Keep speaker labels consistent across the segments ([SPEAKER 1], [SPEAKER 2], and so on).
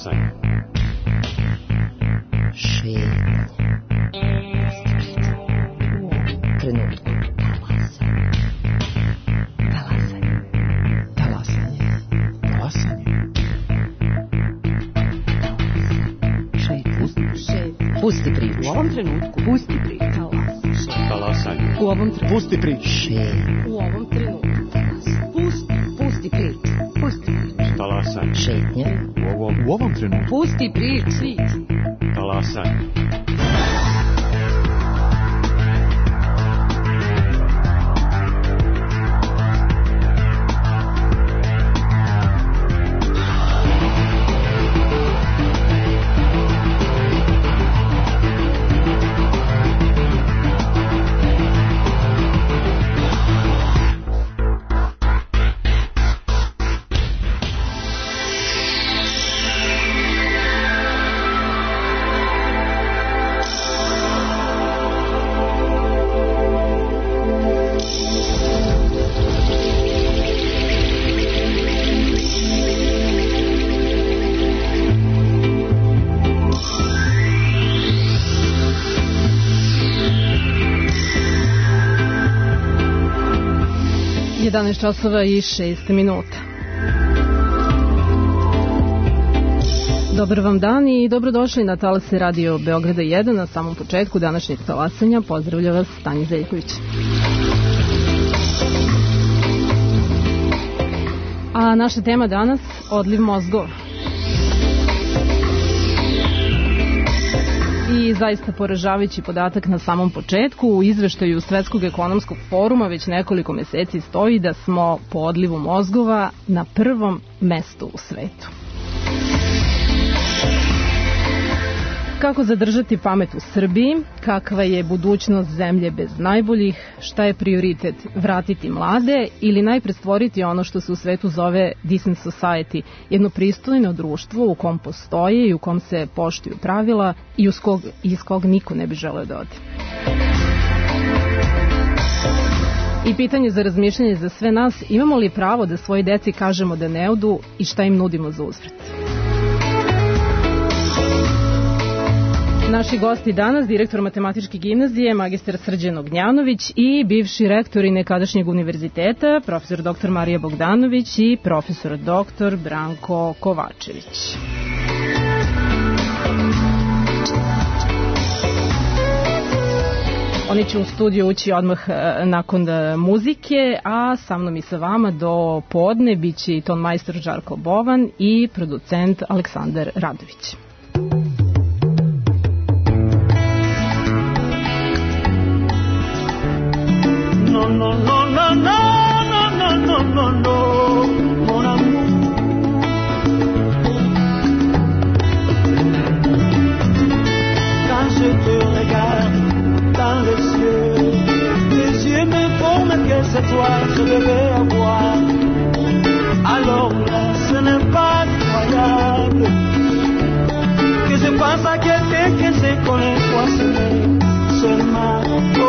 [SPEAKER 1] Talasanje.
[SPEAKER 2] Šetnje. Trenutku. Pusti priču.
[SPEAKER 3] U ovom trenutku. Pusti priču.
[SPEAKER 1] Talasanje.
[SPEAKER 3] U ovom trenutku.
[SPEAKER 4] Pusti priču.
[SPEAKER 3] U ovom trenutku. Pusti priču. Pusti priču.
[SPEAKER 1] Talasanje.
[SPEAKER 2] Šetnje.
[SPEAKER 1] U ovom trenutku.
[SPEAKER 3] Pusti priču.
[SPEAKER 1] Talasanje.
[SPEAKER 5] časova i 6 minuta. Dobar vam dan i dobrodošli na talase Radio Beograda 1. Na samom početku današnjeg talasanja pozdravlja vas Tanja Zeljković. A naša tema danas – odliv mozgova. I zaista poražavajući podatak na samom početku, u izveštaju Svetskog ekonomskog foruma već nekoliko meseci stoji da smo po odlivu mozgova na prvom mestu u svetu. Kako zadržati pamet u Srbiji? Kakva je budućnost zemlje bez najboljih? Šta je prioritet? Vratiti mlade ili najpre stvoriti ono što se u svetu zove decent society, jedno pristojno društvo u kom postoje i u kom se poštuju pravila i iz kog niko ne bi želeo da ode? I pitanje za razmišljanje za sve nas, imamo li pravo da svoji deci kažemo da ne odu i šta im nudimo za uzvrat? Naši gosti danas, direktor Matematičke gimnazije, magistar Srđan Ognjanović i bivši rektor i nekadašnjeg univerziteta, profesor dr. Marija Bogdanović i profesor dr. Branko Kovačević. Oni će u studiju ući odmah nakon muzike, a sa mnom i sa vama do podne biće i ton majstor Žarko Bovan i producent Aleksandar Radović.
[SPEAKER 6] No, no, no, no, no, no, no, no, no, mon amour. Quand je te regarde dans les yeux me promettent que c'est toi que je devais avoir. Alors là, ce n'est pas croyable que je pense à quelqu'un que je connais, toi seulement. Oh,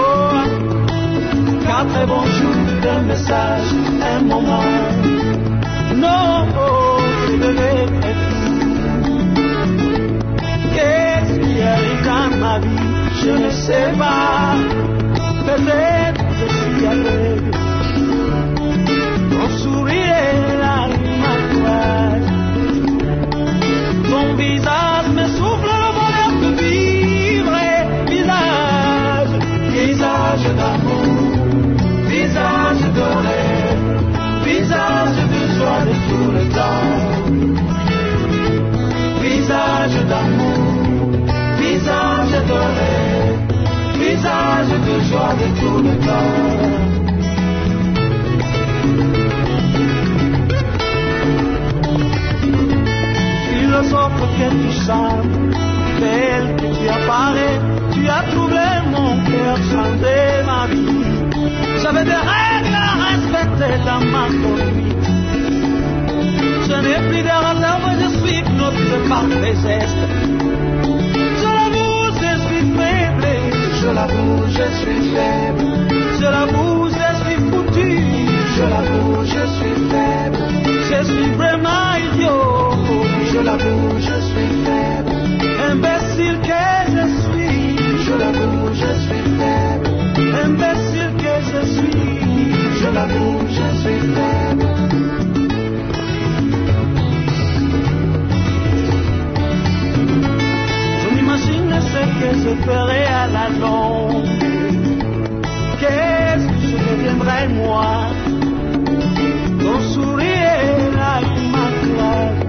[SPEAKER 6] 4 bonjours, 2 messages, un moment. Non, oh, je devais être fou. Qu'est-ce qui arrive dans ma vie? Je ne sais pas. Peut-être je suis aveugle. Ton sourire est la rime à toi. Ton visage me souffle le bonheur de vivre. Visage, visage d'amour. Visage de rêve, visage de joie de tout le temps. Visage d'amour, visage de rêve, visage de joie de tout le temps. Philosophe que tu sembles, belle que tu apparais, tu as trouvé mon cœur, changé ma vie. J'avais des règles à respecter dans ma conduite. Je n'ai plus de réserve, je suis knotté par mes gestes. Je l'avoue, je suis faible. Je l'avoue, je suis faible. Je l'avoue, je suis foutu. Je l'avoue, je suis faible. Je suis vraiment idiot. Je je l'avoue, je suis faible. Imbécile que je suis, je l'avoue, je suis faible. Imbécile que je suis, je l'avoue, je suis faible. Je m'imagine ce que je ferais à la longue. Qu'est-ce que je deviendrais moi? Ton sourire là, il m'acclame.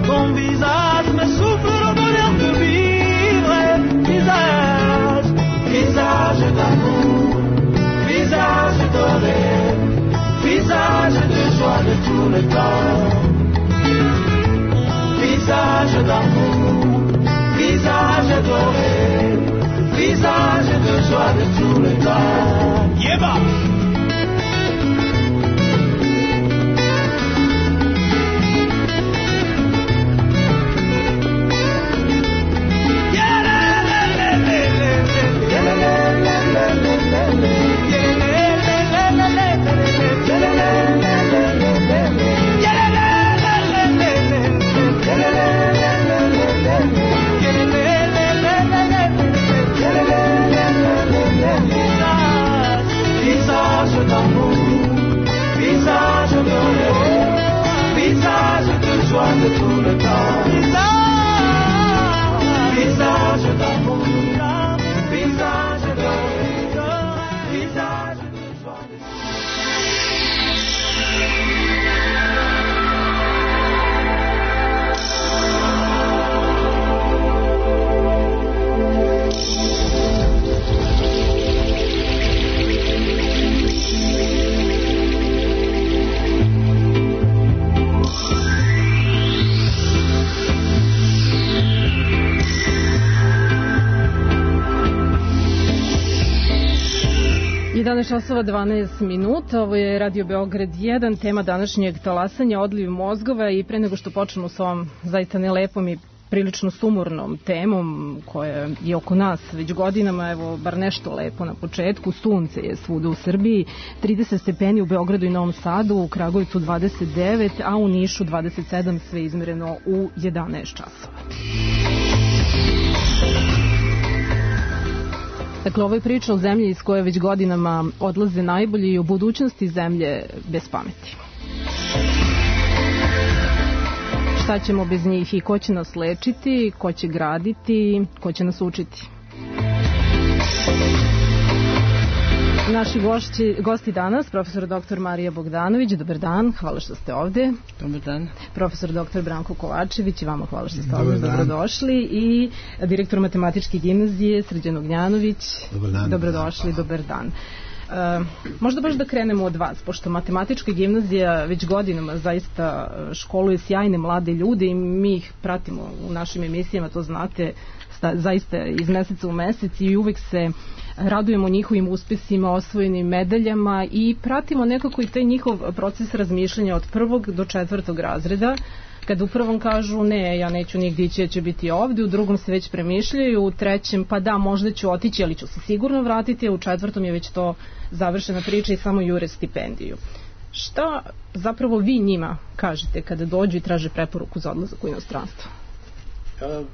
[SPEAKER 6] Ton visage me souffle le bonheur de vivre. Visage, visage d'amour, visage doré, visage de joie de tout le temps. Visage d'amour, visage doré, visage de joie de tout le temps. Yéba! Visage d'amour, visage doré, visage de joie de tout le temps. Visage d'amour, visage doré, visage de joie de tout le temps.
[SPEAKER 5] časova 12 minuta, ovo je Radio Beograd 1, tema današnjeg talasanja, odliv mozgova, i pre nego što počnemo s ovom zaista nelepom i prilično sumornom temom koja je oko nas već godinama, evo bar nešto lepo na početku. Sunce je svuda u Srbiji, 30 stepeni u Beogradu i Novom Sadu, u Kragujevcu 29, a u Nišu 27, sve izmereno u 11 časova. Dakle, ovo je priča o zemlji iz koje već godinama odlaze najbolji i o budućnosti zemlje bez pameti. Šta ćemo bez njih i ko će nas lečiti, ko će graditi, ko će nas učiti? Naši gosti danas, profesor dr. Marija Bogdanović, dobar dan, hvala što ste ovde.
[SPEAKER 2] Dobar dan.
[SPEAKER 5] Profesor dr. Branko Kovačević, i vama hvala što ste ovde, dobrodošli. I direktor Matematičke gimnazije Srđan Ognjanović, dobrodošli, dobar dan. Možda baš da krenemo od vas, pošto Matematička gimnazija već godinama zaista školuje sjajne mlade ljude i mi ih pratimo u našim emisijama, to znate, zaista iz meseca u mesec, i uvek se radujemo njihovim uspesima, osvojenim medaljama i pratimo nekako i taj njihov proces razmišljanja od 1. do 4. razreda, kada u prvom kažu ne, ja neću nigdje ići, ja ću biti ovdje, u drugom se već premišljaju, u trećem pa da, možda ću otići, ali ću se sigurno vratiti, a u 4. je već to završena priča i samo jure stipendiju. Šta zapravo vi njima kažete kada dođu i traže preporuku za odlazak u inostranstvo?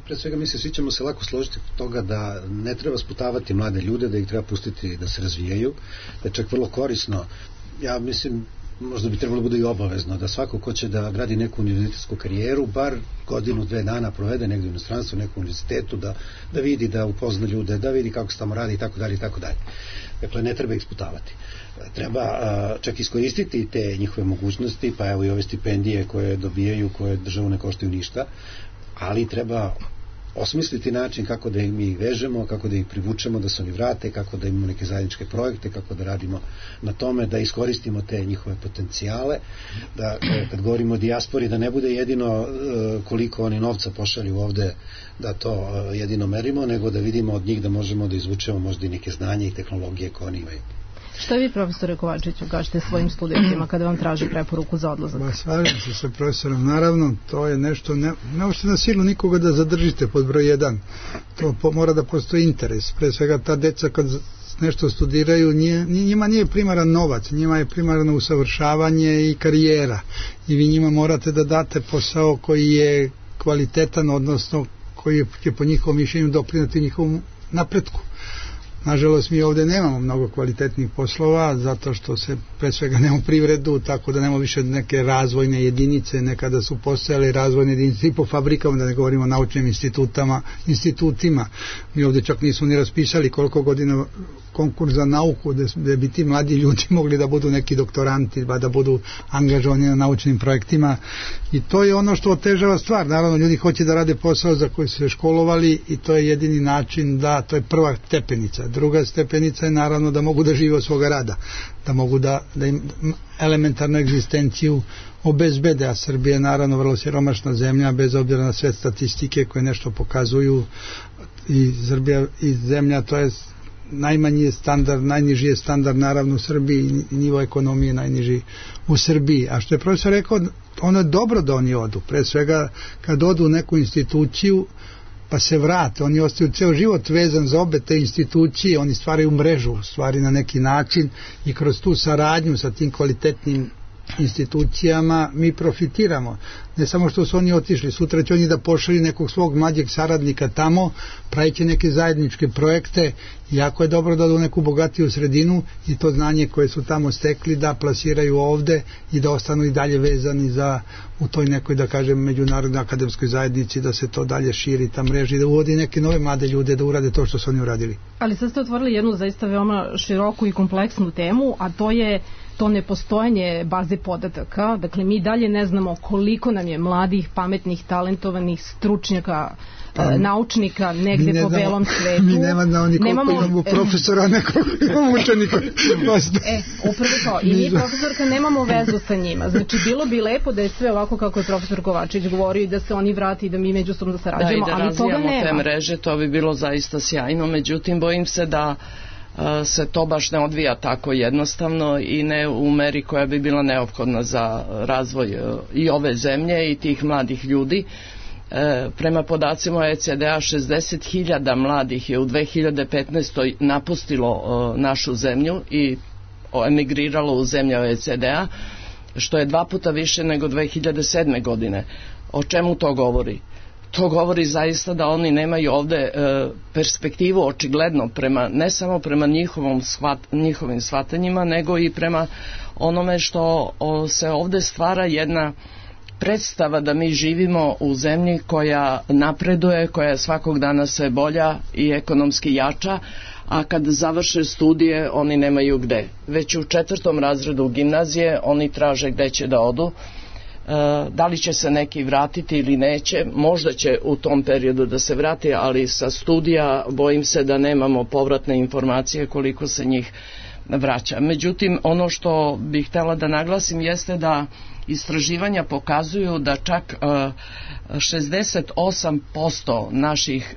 [SPEAKER 4] Pre svega mi svi ćemo se lako složiti od toga da ne treba sputavati mlade ljude, da ih treba pustiti da se razvijaju, da je čak vrlo korisno. Ja mislim, možda bi trebalo bude i obavezno da svako ko će da gradi neku univerzitetsku karijeru, bar godinu, 2 dana provede negdje u inostranstvu, u nekom univerzitetu, da vidi, da upozna ljude, da vidi kako se tamo radi i tako dalje i tako dalje. Dakle, ne treba ih sputavati. Treba čak iskoristiti te njihove mogućnosti, pa evo i ove stipendije koje dobijaju, koje državu ne koštaju ništa, ali treba osmisliti način kako da ih vežemo, kako da ih privučemo, da se oni vrate, kako da imamo neke zajedničke projekte, kako da radimo na tome, da iskoristimo te njihove potencijale, da kad govorimo o dijaspori, da ne bude jedino koliko oni novca pošalju ovde, da to jedino merimo, nego da vidimo od njih da možemo da izvučemo možda i neke znanje i tehnologije koje oni imaju.
[SPEAKER 5] Šta vi, profesore Kovačiću, kažete svojim studentima kada vam traži preporuku za odlazak?
[SPEAKER 7] Slažem se sa profesorom, naravno, to je nešto, ne možete na silu nikoga da zadržite pod broj 1, to mora da postoji interes, pre svega ta deca kad nešto studiraju, njima nije primaran novac, njima je primarno usavršavanje i karijera. I vi njima morate da date posao koji je kvalitetan, odnosno koji će po njihovom mišljenju doprinati njihovom napretku. Nažalost, mi ovde nemamo mnogo kvalitetnih poslova, zato što se pre svega nemamo privredu, tako da nemamo više neke razvojne jedinice, nekada su postojale razvojne jedinice i po fabrikama, da ne govorimo o naučnim institutima. Mi ovde čak nismo ni raspisali koliko godina konkurs za nauku, da bi ti mladi ljudi mogli da budu neki doktoranti, da budu angažovani na naučnim projektima, i to je ono što otežava stvar. Naravno, ljudi hoće da rade posao za koji su se školovali i to je jedini način to je prva stepenica. Druga stepenica je naravno da mogu da žive od svoga rada, da mogu da im elementarnu egzistenciju obezbede, a Srbija je naravno vrlo siromašna zemlja, bez obzira na sve statistike koje nešto pokazuju, i Srbija i zemlja, to je najmanji je standard, najniži je standard naravno u Srbiji, i nivo ekonomije najniži u Srbiji. A što je profesor rekao, ono je dobro da oni odu, pre svega kad odu u neku instituciju pa se vrate, oni ostaju ceo život vezan za obe te institucije, oni stvaraju mrežu, stvari na neki način, i kroz tu saradnju sa tim kvalitetnim institucijama mi profitiramo. Ne samo što su oni otišli, sutra će oni da pošalju nekog svog mlađeg saradnika tamo, praviće neke zajedničke projekte, jako je dobro da odu u neku bogatiju sredinu i to znanje koje su tamo stekli da plasiraju ovde i da ostanu i dalje vezani u toj nekoj, da kažem, međunarodnoj akademskoj zajednici, da se to dalje širi, ta mreža, i da uvodi neke nove mlade ljude da urade to što su oni uradili.
[SPEAKER 5] Ali sad ste otvorili jednu zaista veoma široku i kompleksnu temu, a to je to nepostojanje baze podataka. Dakle, mi dalje ne znamo koliko nam je mladih, pametnih, talentovanih stručnjaka, naučnika negde po belom svetu.
[SPEAKER 7] Mi nema znao ni koliko imamo profesora, nekoliko imamo učenika.
[SPEAKER 5] Upravo to. I mi, profesorka, nemamo vezu sa njima. Znači, bilo bi lepo da je sve ovako kako je profesor Kovačević govorio, i da se oni vrati i da mi međusobno da sarađujemo, ali toga nema.
[SPEAKER 8] Da, i da razvijamo te mreže, to bi bilo zaista sjajno. Međutim, bojim se da se to baš ne odvija tako jednostavno i ne u meri koja bi bila neophodna za razvoj i ove zemlje i tih mladih ljudi. Prema podacima OECD-a 60.000 mladih je u 2015. napustilo našu zemlju i emigriralo u zemlje OECD-a, što je 2 puta više nego 2007. godine. O čemu to govori? To govori zaista da oni nemaju ovde perspektivu očigledno ne samo prema njihovim shvatanjima, nego i prema onome što se ovde stvara jedna predstava da mi živimo u zemlji koja napreduje, koja je svakog dana sve bolja i ekonomski jača, a kad završe studije oni nemaju gde. Već u 4. razredu gimnazije oni traže gde će da odu. Da li će se neki vratiti ili neće, možda će u tom periodu da se vrati, ali sa studija bojim se da nemamo povratne informacije koliko se njih vraća. Međutim, ono što bih htjela da naglasim jeste da istraživanja pokazuju da čak 68% naših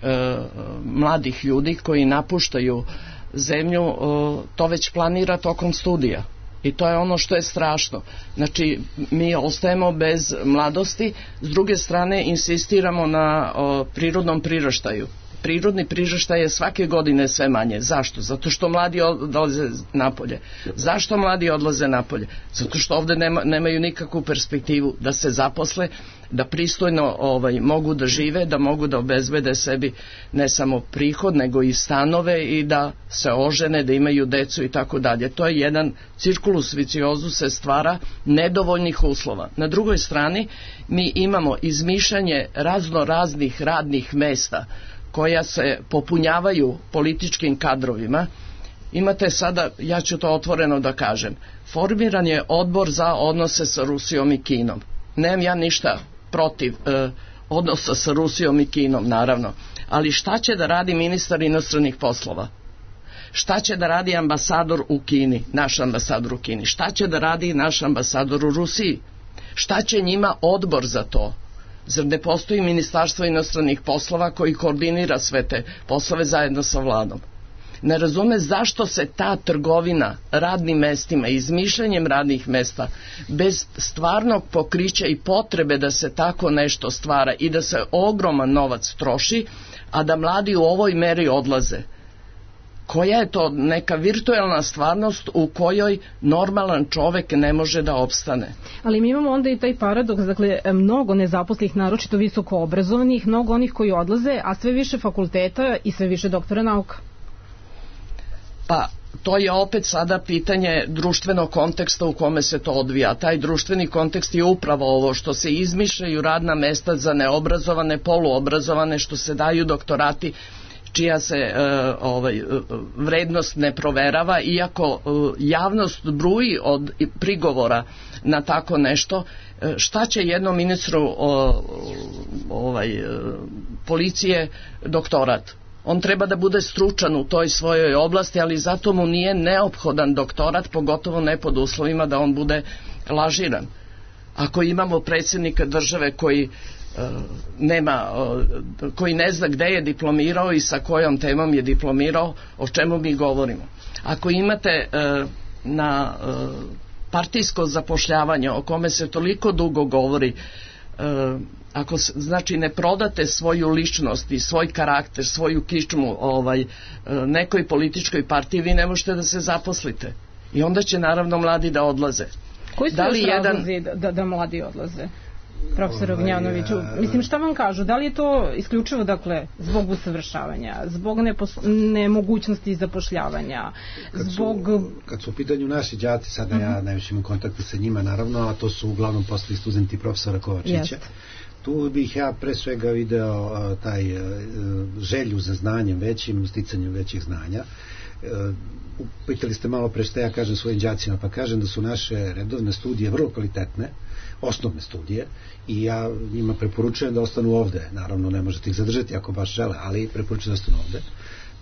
[SPEAKER 8] mladih ljudi koji napuštaju zemlju to već planira tokom studija. I to je ono što je strašno. Znači, mi ostajemo bez mladosti, s druge strane insistiramo na prirodnom priraštaju. Prirodni priraštaj je svake godine sve manje. Zašto? Zato što mladi odlaze napolje. Zašto mladi odlaze napolje? Zato što ovde nemaju nikakvu perspektivu da se zaposle, da pristojno mogu da žive, da mogu da obezbede sebi ne samo prihod, nego i stanove i da se ožene, da imaju decu i tako dalje. To je jedan cirkulus viciozus se stvara nedovoljnih uslova. Na drugoj strani mi imamo izmišljanje raznih radnih mesta koja se popunjavaju političkim kadrovima. Imate sada, ja ću to otvoreno da kažem, formiran je odbor za odnose sa Rusijom i Kinom. Nemam ja ništa protiv odnosa sa Rusijom i Kinom, naravno, ali šta će da radi ministar inostranih poslova? Šta će da radi ambasador u Kini, naš ambasador u Kini? Šta će da radi naš ambasador u Rusiji? Šta će njima odbor za to? Zar ne postoji ministarstvo inostranih poslova koji koordinira sve te poslove zajedno sa vladom? Ne razume zašto se ta trgovina radnim mestima, izmišljanjem radnih mesta, bez stvarnog pokrića i potrebe da se tako nešto stvara i da se ogroman novac troši, a da mladi u ovoj meri odlaze. koja je to neka virtuelna stvarnost u kojoj normalan čovek ne može da opstane.
[SPEAKER 5] Ali mi imamo onda i taj paradoks, dakle, mnogo nezaposlenih, naročito visoko obrazovanih, mnogo onih koji odlaze, a sve više fakulteta i sve više doktora nauka.
[SPEAKER 8] Pa, to je opet sada pitanje društvenog konteksta u kome se to odvija. Taj društveni kontekst je upravo ovo što se izmišljaju radna mesta za neobrazovane, poluobrazovane, što se daju doktorati čija se vrednost ne proverava, iako javnost bruji od prigovora na tako nešto. Šta će jednom ministru policije doktorat? On treba da bude stručan u toj svojoj oblasti, ali zato mu nije neophodan doktorat, pogotovo ne pod uslovima da on bude lažiran. Ako imamo predsjednika države koji koji ne zna gde je diplomirao i sa kojom temom je diplomirao, o čemu mi govorimo. Ako imate na partijsko zapošljavanje o kome se toliko dugo govori, ako znači ne prodate svoju ličnost i svoj karakter, svoju kičmu nekoj političkoj partiji, vi ne možete da se zaposlite. I onda će naravno mladi da odlaze.
[SPEAKER 5] Koji su razlozi da mladi odlaze? Profesor Ognjanoviću, mislim, šta vam kažu? Da li je to isključivo, dakle, zbog usavršavanja, zbog nemogućnosti zapošljavanja,
[SPEAKER 4] Kad su u pitanju naši đaci, sada ja najviše imam kontakte sa njima, naravno, a to su uglavnom postali studenti profesora Kovačića. Tu bih ja pre svega video taj želju za znanjem većim, sticanjem većih znanja. Pitali ste malo pre šta ja kažem svojim đacima, pa kažem da su naše redovne studije vrlo kvalitetne, osnovne studije, i ja njima preporučujem da ostanu ovde. Naravno, ne možete ih zadržati ako baš žele, ali preporučujem da ostanu ovde,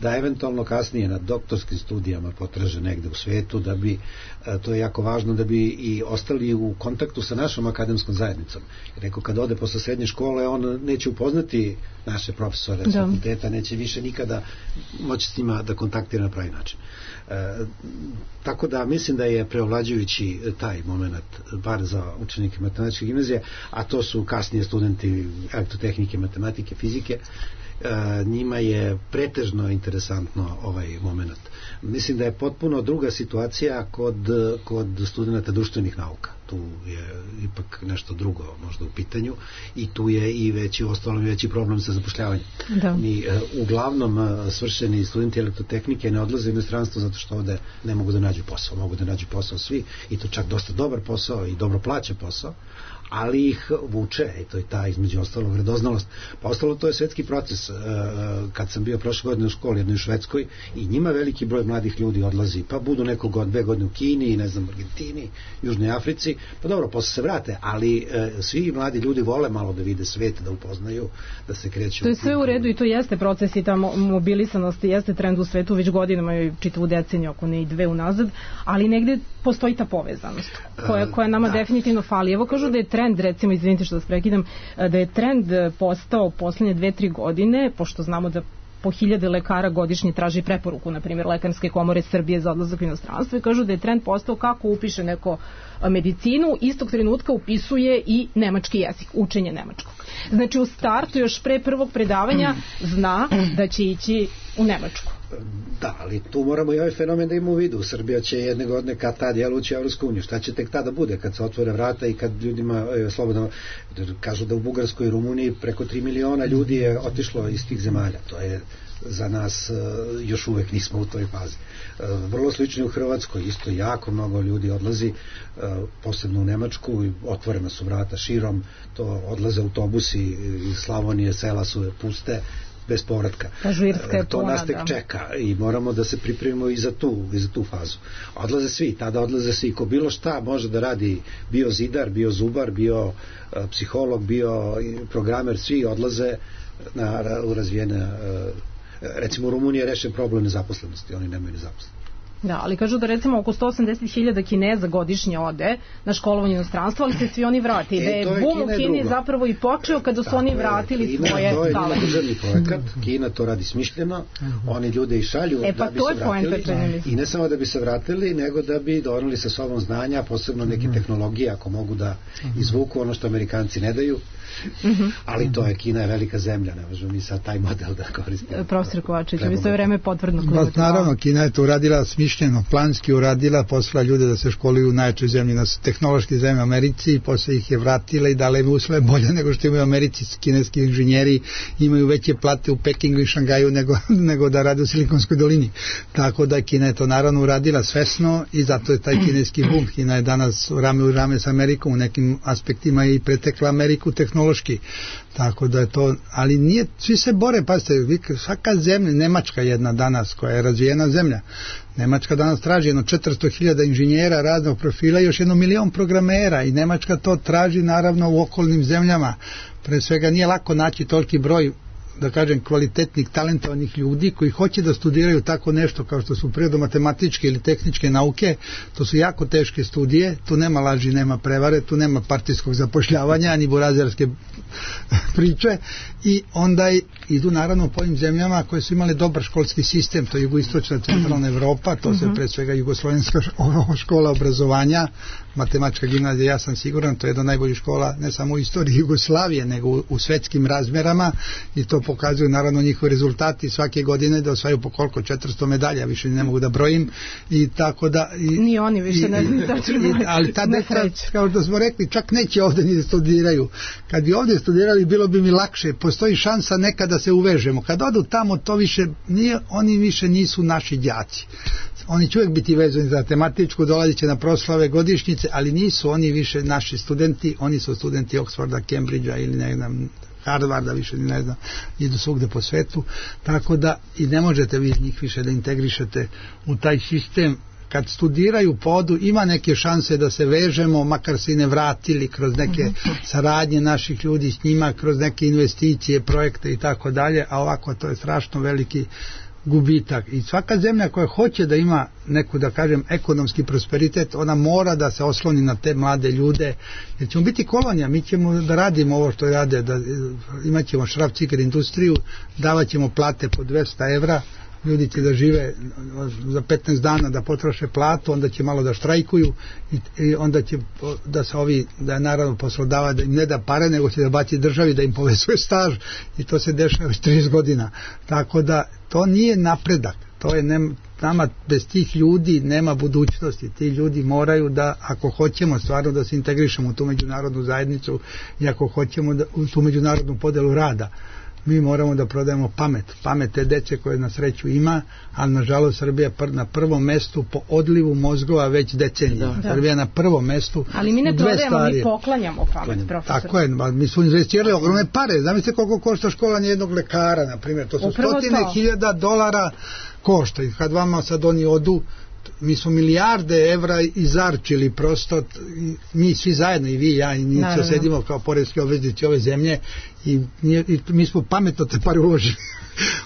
[SPEAKER 4] da eventualno kasnije na doktorskim studijama potraže negde u svetu, da bi, to je jako važno, da bi i ostali u kontaktu sa našom akademskom zajednicom. Jer kada ode posle srednje škole, on neće upoznati naše profesore s fakulteta, neće više nikada moći s njima da kontaktira na pravi način. Tako da mislim da je preovlađujući taj moment, bar za učenike matematičke gimnazije, a to su kasnije studenti elektrotehnike, matematike, fizike, njima je pretežno interesantno ovaj moment. Mislim da je potpuno druga situacija kod studenta društvenih nauka. Tu je ipak nešto drugo možda u pitanju i tu je i veći problem sa zapošljavanjem. Mi uglavnom svršeni studenti elektrotehnike ne odlaze u inostranstvo zato što ovde ne mogu da nađu posao. Mogu da nađu posao svi, i to čak dosta dobar posao i dobro plaćen posao, ali ih vuče, i to je ta između ostalog radoznalost. Pa ostalo to je svetski proces. Kad sam bio prošle godine u školi jednoj u Švedskoj, i njima veliki broj mladih ljudi odlazi, pa budu neko 2 godine u Kini, ne znam, Argentini, Južnoj Africi, pa dobro, posle se vrate, ali svi mladi ljudi vole malo da vide svet, da upoznaju, da se kreću.
[SPEAKER 5] To je sve u redu i to jeste proces i ta mobilisanost jeste trend u svetu već godinama i čitavu deceniju, ako ne i 2 unazad, ali negde postoji ta povezanost koja nama definitivno fali. Evo kažu da je trend, recimo, izvinite što vas prekidam, da je trend postao poslednje 2-3 godine, pošto znamo da po 1000 lekara godišnje traži preporuku, na primjer Lekarske komore Srbije za odlazak u inostranstvo, i kažu da je trend postao kako upiše neko medicinu, istog trenutka upisuje i nemački jezik, učenje nemačkog. Znači u startu još pre prvog predavanja zna da će ići u Nemačku.
[SPEAKER 4] Da, ali tu moramo i ovaj fenomen da imamo u vidu. Srbija će jedne godine kad tad ući u Evropsku uniju. Šta će tek tada bude kad se otvore vrata i kad ljudima slobodno kažu da u Bugarskoj i Rumuniji preko 3 miliona ljudi je otišlo iz tih zemalja. To je za nas još uvek nismo u toj fazi. Vrlo slično u Hrvatskoj, isto jako mnogo ljudi odlazi, posebno u Nemačku, otvorena su vrata širom, to odlaze autobusi iz Slavonije, sela su puste, bez povratka. To nas tek čeka i moramo da se pripremimo i za tu fazu. Odlaze svi, tada odlaze svi, ko bilo šta može da radi, bio zidar, bio zubar, bio psiholog, bio programer, svi odlaze u razvijene, recimo u Rumuniji je rešen problem nezaposlenosti, oni nemaju nezaposlenosti.
[SPEAKER 5] Da, ali kažu da recimo oko 180.000 Kineza godišnje ode na školovanje u inostranstvo, ali se svi oni vrati. Da je bum u Kini zapravo i počeo kada su oni vratili svoje
[SPEAKER 4] talente. To je državni projekat, Kina to radi smišljeno, oni ljude i šalju da bi se vratili. I ne samo da bi se vratili, nego da bi doneli sa sobom znanja, posebno neke tehnologije, ako mogu da izvuku ono što Amerikanci ne daju. Ali to je, Kina je velika zemlja, ne možemo mi sad taj model da koristimo.
[SPEAKER 5] Profesor Kovačević, vi sve vreme potvrdno klimate.
[SPEAKER 7] Naravno, Kina je to uradila smišljeno, planski uradila, poslala ljude da se školuju u najjačoj zemlji, na tehnološki zemlji Americi, i posle ih je vratila i dala im uslove bolje nego što imaju Americi. Kineski inženjeri imaju veće plate u Pekingu i Šangaju nego da rade u Silikonskoj dolini. Tako da Kina je to naravno uradila svesno i zato je taj kineski bum. Kina je danas rame u rame s Amerikom, u nekim aspektima i pretekla Ameriku tehnološki. Tako da je to, ali nije, svi se bore, pazite, svaka zemlja, Nemačka jedna danas koja je razvijena zemlja, Nemačka danas traži 400.000 inženjera raznog profila i još 1 milion programera, i Nemačka to traži naravno u okolnim zemljama. Pre svega nije lako naći toliki broj, da kažem, kvalitetnih, talentovanih ljudi koji hoće da studiraju tako nešto kao što su prirodno-matematičke ili tehničke nauke. To su jako teške studije, tu nema laži, nema prevare, tu nema partijskog zapošljavanja ni burazerske priče, i onda idu naravno po ovim zemljama koje su imale dobar školski sistem, to je jugoistočna centralna Evropa, to se pre svega jugoslovenska škola obrazovanja, matematička gimnazija, ja sam siguran, to je jedna od najboljih škola ne samo u istoriji Jugoslavije, nego u svetskim razmerama, i to pokazuju naravno njihovi rezultati svake godine, da osvajaju po koliko 400 medalja, više ne mogu da brojim, i tako da
[SPEAKER 5] ni oni više ne
[SPEAKER 7] ali ta deca, kao što smo rekli, čak neće ovde ni studiraju. Kad bi ovde studirali, bilo bi mi lakše, postoji šansa nekada da se uvežemo. Kad odu tamo, to više nije, oni više nisu naši đaci. Oni će uvijek biti vezani za matematičku, dolazit će na proslave, godišnjice, ali nisu oni više naši studenti, oni su studenti Oxforda, Cambridgea ili ne znam, Harvarda, više ne znam, idu svugde po svetu, tako da i ne možete vi njih više da integrišete u taj sistem. Kad studiraju po odu, ima neke šanse da se vežemo, makar se i ne vratili kroz neke saradnje naših ljudi s njima, kroz neke investicije, projekte i tako dalje, a ovako to je strašno veliki gubitak. I svaka zemlja koja hoće da ima neku, da kažem, ekonomski prosperitet, ona mora da se osloni na te mlade ljude, jer ćemo biti kolonija, mi ćemo da radimo ovo što rade, da imat ćemo šraf-ciger industriju, davat ćemo plate po 200 evra, ljudi će da žive za 15 dana da potroše platu, onda će malo da štrajkuju i onda će da se da je naravno poslodava da im ne da pare, nego će da baci državi da im povezuje staž, i to se dešava već 30 godina. Tako da to nije napredak, to je nama bez tih ljudi nema budućnosti. Ti ljudi moraju da, ako hoćemo stvarno da se integrišemo u tu međunarodnu zajednicu i ako hoćemo u tu međunarodnu podelu rada, mi moramo da prodajemo pamet te dece koje na sreću ima, ali nažalost Srbija na prvom mestu po odlivu mozgova već decenijama. Srbija na prvom mestu.
[SPEAKER 5] Ali mi ne prodajemo, mi poklanjamo pamet, profesor.
[SPEAKER 7] Tako je, mi smo investirali ogromne pare. Zamislite koliko košta školanje jednog lekara, na primjer, to su $100,000 košta, i kad vama sad oni odu, mi smo milijarde evra izarčili prosto, mi svi zajedno, i vi i ja, i mi se sedimo kao poreski obveznici ove zemlje, i mi smo pametno te pare uložili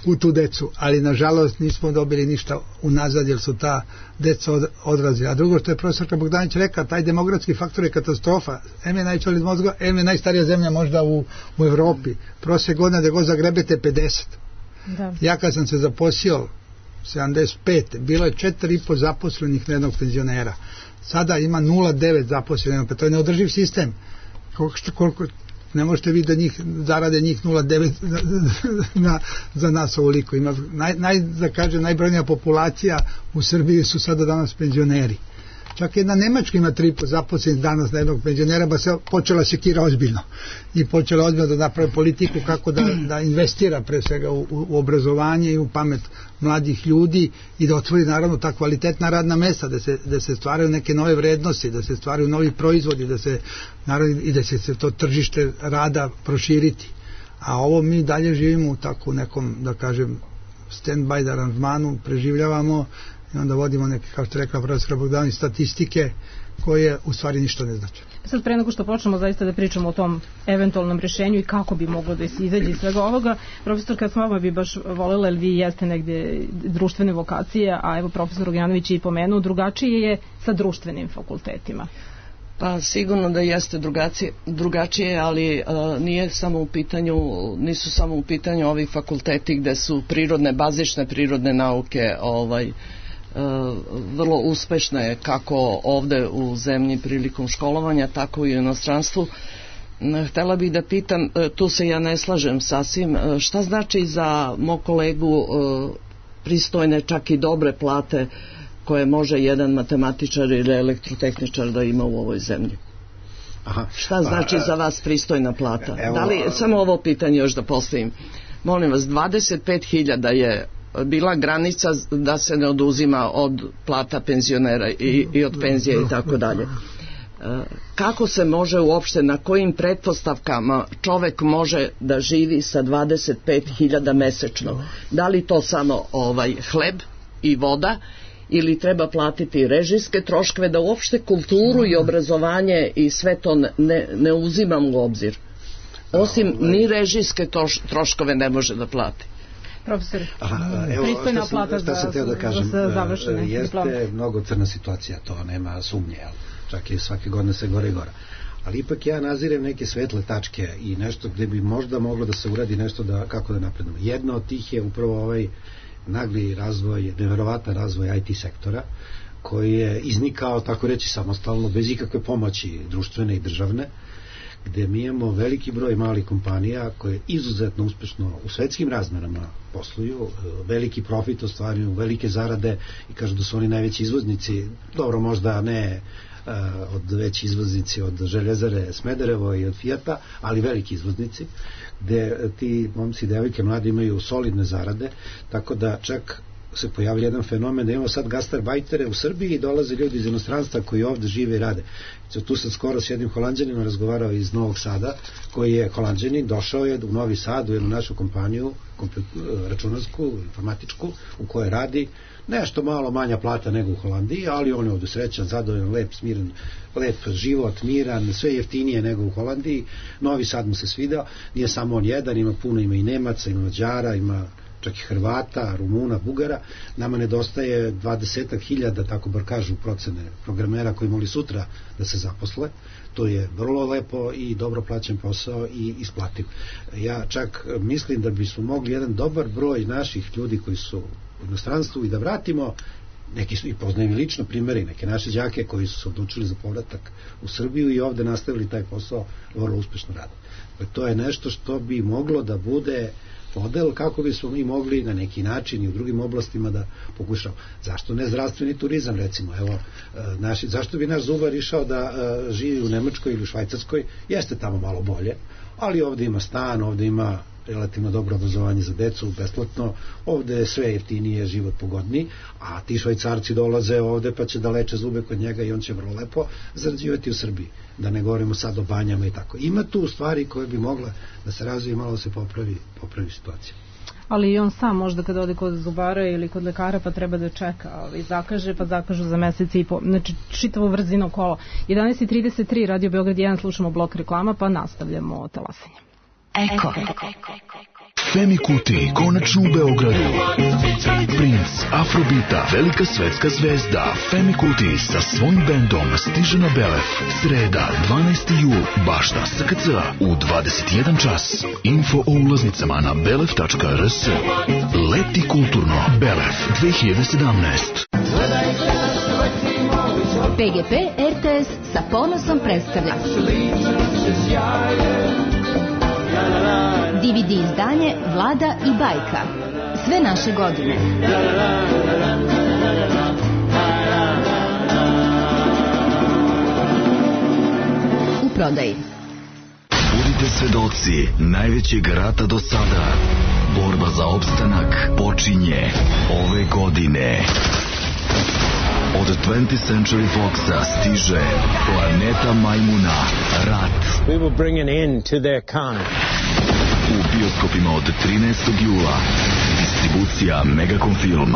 [SPEAKER 7] u tu decu, ali nažalost nismo dobili ništa unazad, jer su ta deca odrazili. A drugo što je profesorka Bogdanić rekla, taj demografski faktor je katastrofa. M je najveća od mozga, M je najstarija zemlja možda u Evropi. Prosjek godina da go zagrebete 50. Ja kad sam se zaposlio 75. bilo je 4,5 zaposlenih na jednog penzionera. Sada ima 0,9 zaposlenih, pa to je neodrživ sistem. Koliko ne možete vi da njih zarade njih 0,9 za nas ovoliko. Ima da kažem, najbrojnija populacija u Srbiji su sada danas penzioneri. Čak jedna Nemačka ima 3,5 zaposlenih danas na jednog penzionera, ba se počela sekira ozbiljno i počela ozbiljno da napravi politiku kako da investira pre svega u obrazovanje i u pamet mladih ljudi i da otvori naravno ta kvalitetna radna mesta, da se stvaraju neke nove vrednosti, da se stvaraju novi proizvodi, i da se to tržište rada proširiti. A ovo mi dalje živimo u tako nekom, da kažem, stand-by aranžmanu, preživljavamo i onda vodimo neke, kao što je rekla profesora Bogdanović, statistike koje u stvari ništa ne znači.
[SPEAKER 5] Sad pre nego što počnemo zaista da pričamo o tom eventualnom rješenju i kako bi moglo da se izađe iz svega ovoga, profesor, kad smo bi baš volela, jer vi jeste negdje društvene vokacije, a evo profesor Ognjanović je i pomenuo, drugačije je sa društvenim fakultetima.
[SPEAKER 8] Pa sigurno da jeste drugačije, ali nisu samo u pitanju ovi fakulteti gde su bazične prirodne nauke vrlo uspešne kako ovde u zemlji prilikom školovanja, tako i u inostranstvu. Htela bih da pitam, tu se ja ne slažem sasvim, šta znači za mog kolegu pristojne, čak i dobre plate koje može jedan matematičar ili elektrotehničar da ima u ovoj zemlji?
[SPEAKER 4] Aha.
[SPEAKER 8] Šta znači za vas pristojna plata? Da li, samo ovo pitanje još da postavim. Molim vas, 25.000 je bila granica da se ne oduzima od plata penzionera i od penzije i tako dalje. Kako se može uopšte, na kojim pretpostavkama čovek može da živi sa 25.000 mesečno? Da li to samo hleb i voda, ili treba platiti režijske troškove, da uopšte kulturu i obrazovanje i sve to ne uzimam u obzir? Osim ni režijske troškove ne može da plati.
[SPEAKER 5] Profesor, pristojna plata
[SPEAKER 4] za
[SPEAKER 5] završene diplome.
[SPEAKER 4] Jeste mnogo crna situacija, to nema sumnje, čak i svake godine se gore i gore. Ali ipak ja nazirem neke svetle tačke i nešto gde bi možda moglo da se uradi nešto kako da napredimo. Jedno od tih je upravo ovaj nagli razvoj, neverovatan razvoj IT sektora, koji je iznikao, tako reći, samostalno, bez ikakve pomoći društvene i državne, gde mi imamo veliki broj malih kompanija koje izuzetno uspešno u svetskim razmerama posluju, veliki profit ostvaruju, velike zarade i kažu da su oni najveći izvoznici, dobro, možda ne od veći izvoznici od Željezare Smederevo i od Fijata, ali veliki izvoznici, gde ti momci i devojke mladi imaju solidne zarade, tako da čak se pojavlja jedan fenomen da imamo sad gastarbajtere u Srbiji i dolaze ljudi iz inostranstva koji ovde žive i rade. Tu sam skoro s jednim Holanđaninom razgovarao iz Novog Sada, koji je Holanđanin, došao je u Novi Sad u jednu našu kompaniju računarsku, informatičku, u kojoj radi nešto malo manja plata nego u Holandiji, ali on je ovde srećan, zadovoljan, lep, smiren, lep život, miran, sve jeftinije nego u Holandiji. Novi Sad mu se svidao, nije samo on jedan, ima puno, ima i Nemaca, ima Mađara, ima čak i Hrvata, Rumuna, Bugara. Nama nedostaje 20.000, tako bar kažu procene programera koji mogli sutra da se zaposle. To je vrlo lepo i dobro plaćen posao i isplativ. Ja čak mislim da bismo mogli jedan dobar broj naših ljudi koji su u inostranstvu i da vratimo, neki su i poznajem lično primjeri, neke naše đake koji su se odlučili za povratak u Srbiju i ovde nastavili taj posao, vrlo uspešno rade. To je nešto što bi moglo da bude model kako bismo mi mogli na neki način i u drugim oblastima da pokušamo. Zašto ne zdravstveni turizam, recimo? Evo, zašto bi naš zubar išao da živi u Nemačkoj ili u Švajcarskoj? Jeste tamo malo bolje, ali ovde ima stan, ovde ima relativno dobro obrazovanje za decu, besplatno, ovde je sve jeftinije, život pogodniji, a ti Švajcarci dolaze ovde pa će da leče zube kod njega i on će vrlo lepo zarađivati u Srbiji, da ne govorimo sad o banjama i tako. Ima tu stvari koje bi mogle da se razvije, malo se popravi situacija.
[SPEAKER 5] Ali i on sam možda kada ode kod zubara ili kod lekara pa treba da čeka, zakaže pa zakažu za mesec i po, znači čitavo vrzino kolo. 11:33, Radio Beograd 1, slušamo blok reklama pa nastavljamo talasanje.
[SPEAKER 9] Eko. Femi Kuti, konačno u Beogradu. Princ Afrobita, velika svetska zvezda Femi Kuti sa svojim bendom stiže na Belef. Sreda, 12. jul, bašta SKC u 21 čas. Info o ulaznicama na belef.rs. Leti kulturno, Belef 2017.
[SPEAKER 10] PGP RTS sa ponosom predstavlja DVD izdanje Vlada i bajka. Sve naše godine. U prodaji.
[SPEAKER 9] Budite svedoci najvećeg rata do sada. Borba za opstanak počinje ove godine. Od 20th Century Foxa stiže Planeta Majmuna, Rat.
[SPEAKER 11] We will bring an end to their kind.
[SPEAKER 9] U bioskopima od 13. jula. Distribucija Megacom Film.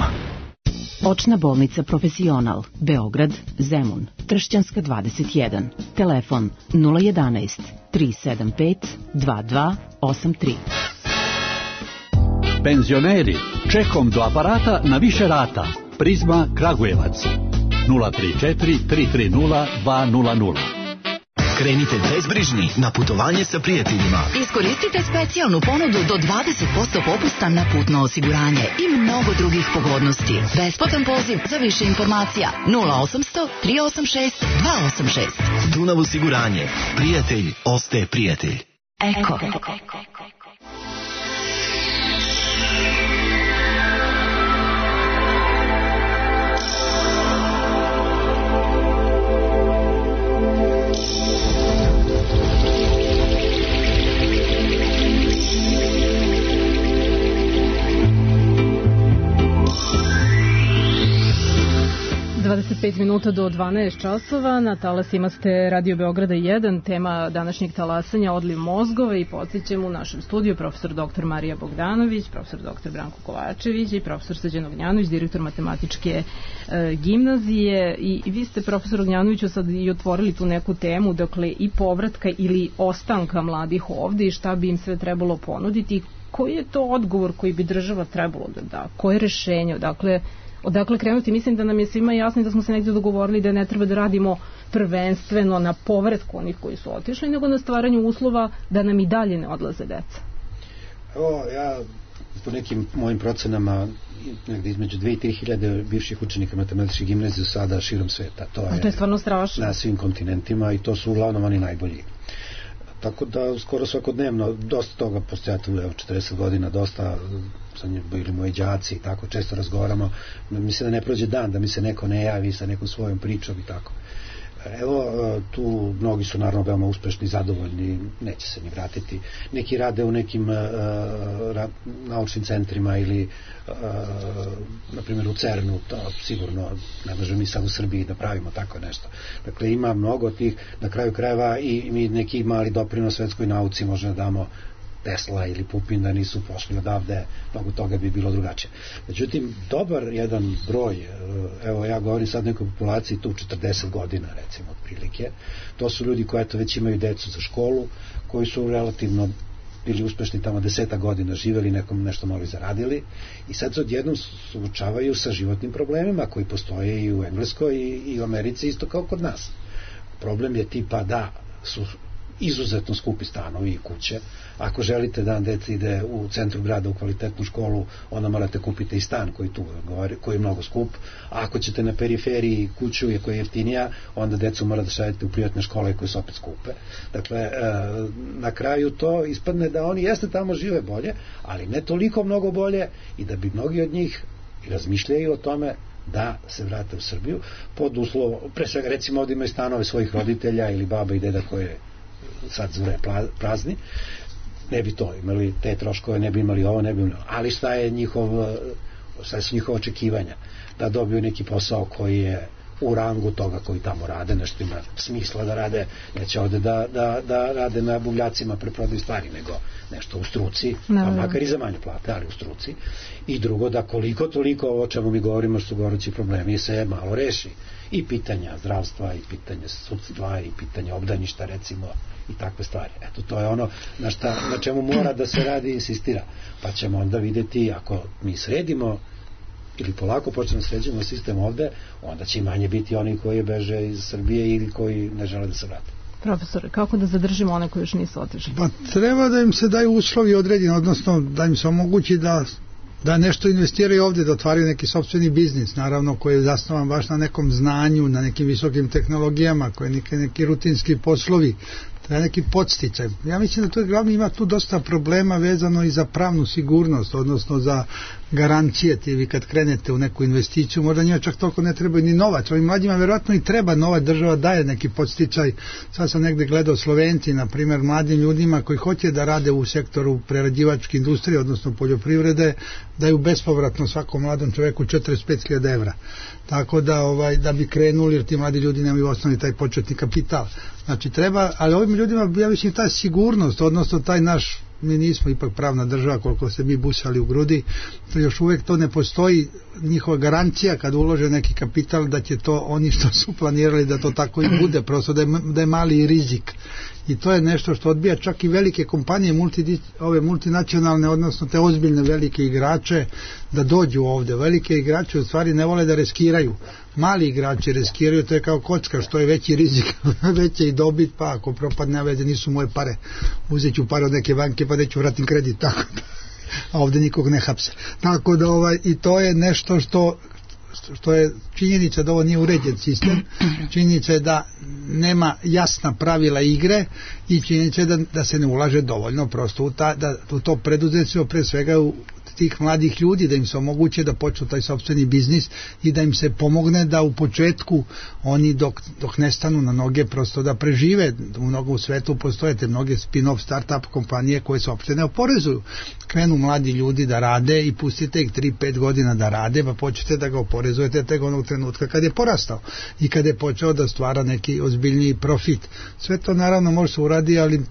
[SPEAKER 12] Očna bolnica Profesional, Beograd, Zemun, Tršćanska 21. Telefon 011 375 2283.
[SPEAKER 13] Penzioneri, čekom do aparata na više rata. Prizma Kragujevac 034 330 200.
[SPEAKER 14] Krenite bezbrižni na putovanje sa prijateljima.
[SPEAKER 15] Iskoristite specijalnu ponudu do 20% popusta na putno osiguranje i mnogo drugih pogodnosti. Besplatan poziv za više informacija 0800 386 286.
[SPEAKER 14] Dunav osiguranje. Prijatelj ostaje prijatelj.
[SPEAKER 15] Eko.
[SPEAKER 5] 25 minuta do 12 časova, na talasima ste Radio Beograda 1, tema današnjeg talasanja odliv mozgova i podsjećam u našem studiju profesor dr. Marija Bogdanović, profesor dr. Branko Kovačević i profesor Srđan Ognjanović, direktor matematičke gimnazije. I vi ste, profesor Ognjanoviću, sad i otvorili tu neku temu, dakle i povratka ili ostanka mladih ovde i šta bi im sve trebalo ponuditi. Koji je to odgovor koji bi država trebalo da da? Koje rešenje? Odakle krenuti? Mislim da nam je svima jasno da smo se negdje dogovorili da ne treba da radimo prvenstveno na povratku onih koji su otišli, nego na stvaranju uslova da nam i dalje ne odlaze deca.
[SPEAKER 4] Evo, ja po nekim mojim procenama negdje između 2 i 3 hiljade bivših učenika matematičke gimnazije sada širom sveta.
[SPEAKER 5] To je stvarno strašno.
[SPEAKER 4] Na svim kontinentima i to su uglavnom oni najbolji. Tako da skoro svakodnevno dosta toga postoja tu, 40 godina, dosta sa njim bili moji đaci i tako, često razgovaramo, mislim da ne prođe dan da mi se neko ne javi sa nekom svojom pričom i tako. Evo, tu mnogi su naravno veoma uspešni, zadovoljni, neće se ni vratiti. Neki rade u nekim naučnim centrima ili na primjer u CERN-u, to sigurno ne možemo mi sad u Srbiji da pravimo tako nešto. Dakle, ima mnogo tih, na kraju krajeva i mi neki mali doprinos svetskoj nauci možemo da damo. Tesla ili Pupin da nisu pošli odavde, mnogo toga bi bilo drugačije. Međutim, dobar jedan broj, evo ja govorim sad nekoj populaciji tu 40 godina recimo otprilike, to su ljudi koji eto već imaju decu za školu, koji su relativno bili uspešni tamo 10 godina, živeli, nekom nešto malo zaradili i sad se odjednom suočavaju sa životnim problemima koji postoje i u Engleskoj i u Americi isto kao kod nas. Problem je tipa da su izuzetno skupi stanovi i kuće. Ako želite da dete ide u centru grada u kvalitetnu školu, onda morate kupiti i stan koji je mnogo skup. A ako ćete na periferiji kuću koja je jeftinija, onda decu mora da šaljete u privatne škole koje su opet skupe. Dakle, na kraju to ispadne da oni jeste tamo žive bolje, ali ne toliko mnogo bolje i da bi mnogi od njih razmišljaju o tome da se vrate u Srbiju pod uslovom, pre svega recimo ovdje imaju stanove svojih roditelja ili baba i deda koje sad zure prazni, ne bi to imali, te troškove ne bi imali ovo, ne bi imali, ali šta su njihova očekivanja da dobiju neki posao koji je u rangu toga koji tamo rade, nešto ima smisla da rade, neće ovde da rade na buvljacima preprodaju stvari, nego nešto u struci, pa makar i za manje plate, ali u struci. I drugo, da koliko toliko ovo o čemu mi govorimo što su gorući problemi se malo reši. I pitanja zdravstva, i pitanja sudstva, i pitanja obdaništa recimo, i takve stvari. Eto, to je ono na čemu mora da se radi i insistira. Pa ćemo onda vidjeti, ako mi sredimo ili polako počnemo sređujemo sistem ovde, onda će i manje biti oni koji beže iz Srbije ili koji ne žele da se vrate.
[SPEAKER 5] Profesore, kako da zadržimo one koji još nisu otišli?
[SPEAKER 7] Pa treba da im se daju uslovi određeni, odnosno da im se omogući da nešto investiraju ovdje, da otvaraju neki sopstveni biznis, naravno koji je zasnovan baš na nekom znanju, na nekim visokim tehnologijama, koji je neki rutinski poslovi, treba neki podsticaj. Ja mislim da to je glavno, ima tu dosta problema vezano i za pravnu sigurnost, odnosno za garancije. Vi kad krenete u neku investiciju, možda njima čak toliko ne treba ni novac, ovim mlađima verovatno i treba novac, država daje neki podsticaj. Sad sam negde gledao Slovenci, na primjer, mladim ljudima koji hoće da rade u sektoru prerađivačke industrije, odnosno poljoprivrede, daju bespovratno svakom mladom čoveku 45.000 evra. Tako da bi krenuli, jer ti mladi ljudi nemaju osnovni taj početni kapital. Znači treba, ali ovim ljudima, ja mislim, ta sigurnost, odnosno taj naš mi nismo ipak pravna država koliko se mi busali u grudi, to još uvijek to ne postoji njihova garancija kad ulože neki kapital da će to oni što su planirali da to tako i bude, prosto da je mali rizik. I to je nešto što odbija čak i velike kompanije, ove multinacionalne, odnosno te ozbiljne velike igrače da dođu ovde. Velike igrače u stvari ne vole da riskiraju. Mali igrači riskiraju, to je kao kocka, što je veći rizik, veće i dobit, pa ako propadne veze, nisu moje pare. Uzet ću pare od neke banke pa neću vratim kredit, tako da. A ovde nikog ne hapse. Tako da i to je nešto što je činjenica da ovo nije uređen sistem, činjenica je da nema jasna pravila igre i činjenica je da se ne ulaže dovoljno prosto u to preduzetstvo, pre svega u tih mladih ljudi, da im se omoguće da počnu taj sopstveni biznis i da im se pomogne da u početku oni dok ne stanu na noge prosto da prežive. U svetu postoje te mnoge spin-off start-up kompanije koje se uopšte ne oporezuju. Krenu mladi ljudi da rade i pustite ih 3-5 godina da rade, pa počnete da ga oporezujete tek onog trenutka kad je porastao i kad je počeo da stvara neki ozbiljniji profit. Sve to naravno može se uradi, ali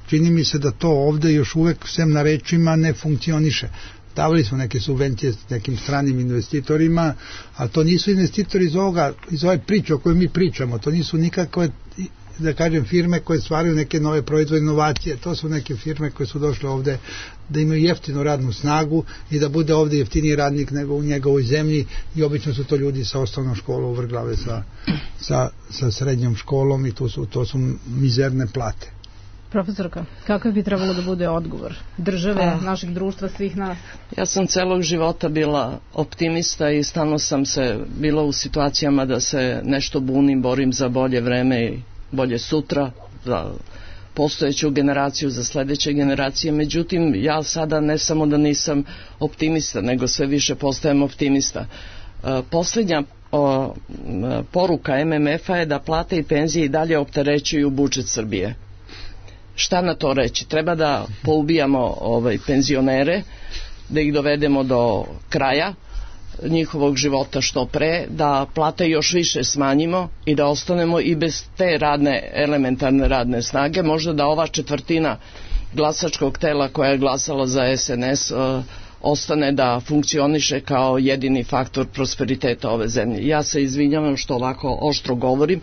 [SPEAKER 7] čini mi se da to ovde još uvek sem na rečima ne funkcioniše. Davali smo neke subvencije s nekim stranim investitorima, ali to nisu investitori iz ove priče o kojoj mi pričamo, to nisu nikakve, da kažem, firme koje stvaraju neke nove proizvode, inovacije, to su neke firme koje su došle ovde da imaju jeftinu radnu snagu i da bude ovde jeftiniji radnik nego u njegovoj zemlji i obično su to ljudi sa osnovnom školom uvrglave sa srednjom školom i to su mizerne plate.
[SPEAKER 5] Profesorka, kakav bi trebalo da bude odgovor države, našeg društva, svih nas?
[SPEAKER 8] Ja sam celog života bila optimista i stalno sam se bila u situacijama da se nešto bunim, borim za bolje vreme i bolje sutra, za postojeću generaciju, za sledeće generacije. Međutim, ja sada ne samo da nisam optimista, nego sve više postajem optimista. Posljednja poruka MMF-a je da plate i penzije i dalje opterećuju budžet Srbije. Šta na to reći? Treba da poubijamo penzionere, da ih dovedemo do kraja njihovog života što pre, da plate još više smanjimo i da ostanemo i bez te elementarne radne snage. Možda da ova četvrtina glasačkog tela koja je glasala za SNS ostane da funkcioniše kao jedini faktor prosperiteta ove zemlje. Ja se izvinjavam što ovako oštro govorim,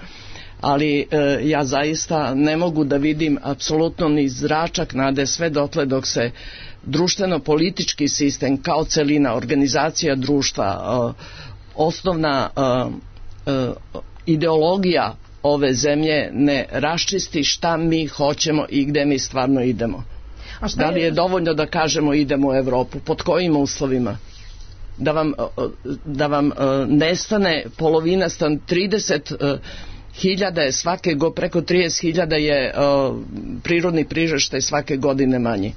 [SPEAKER 8] ali ja zaista ne mogu da vidim apsolutno ni zračak nade sve dotle dok se društveno-politički sistem kao celina, organizacija društva, osnovna ideologija ove zemlje ne raščisti šta mi hoćemo i gde mi stvarno idemo. Da li je dovoljno da kažemo idemo u Evropu? Pod kojim uslovima? Da vam nestane polovina 30 hiljada je preko 30.000 je prirodni priraštaj svake godine manji.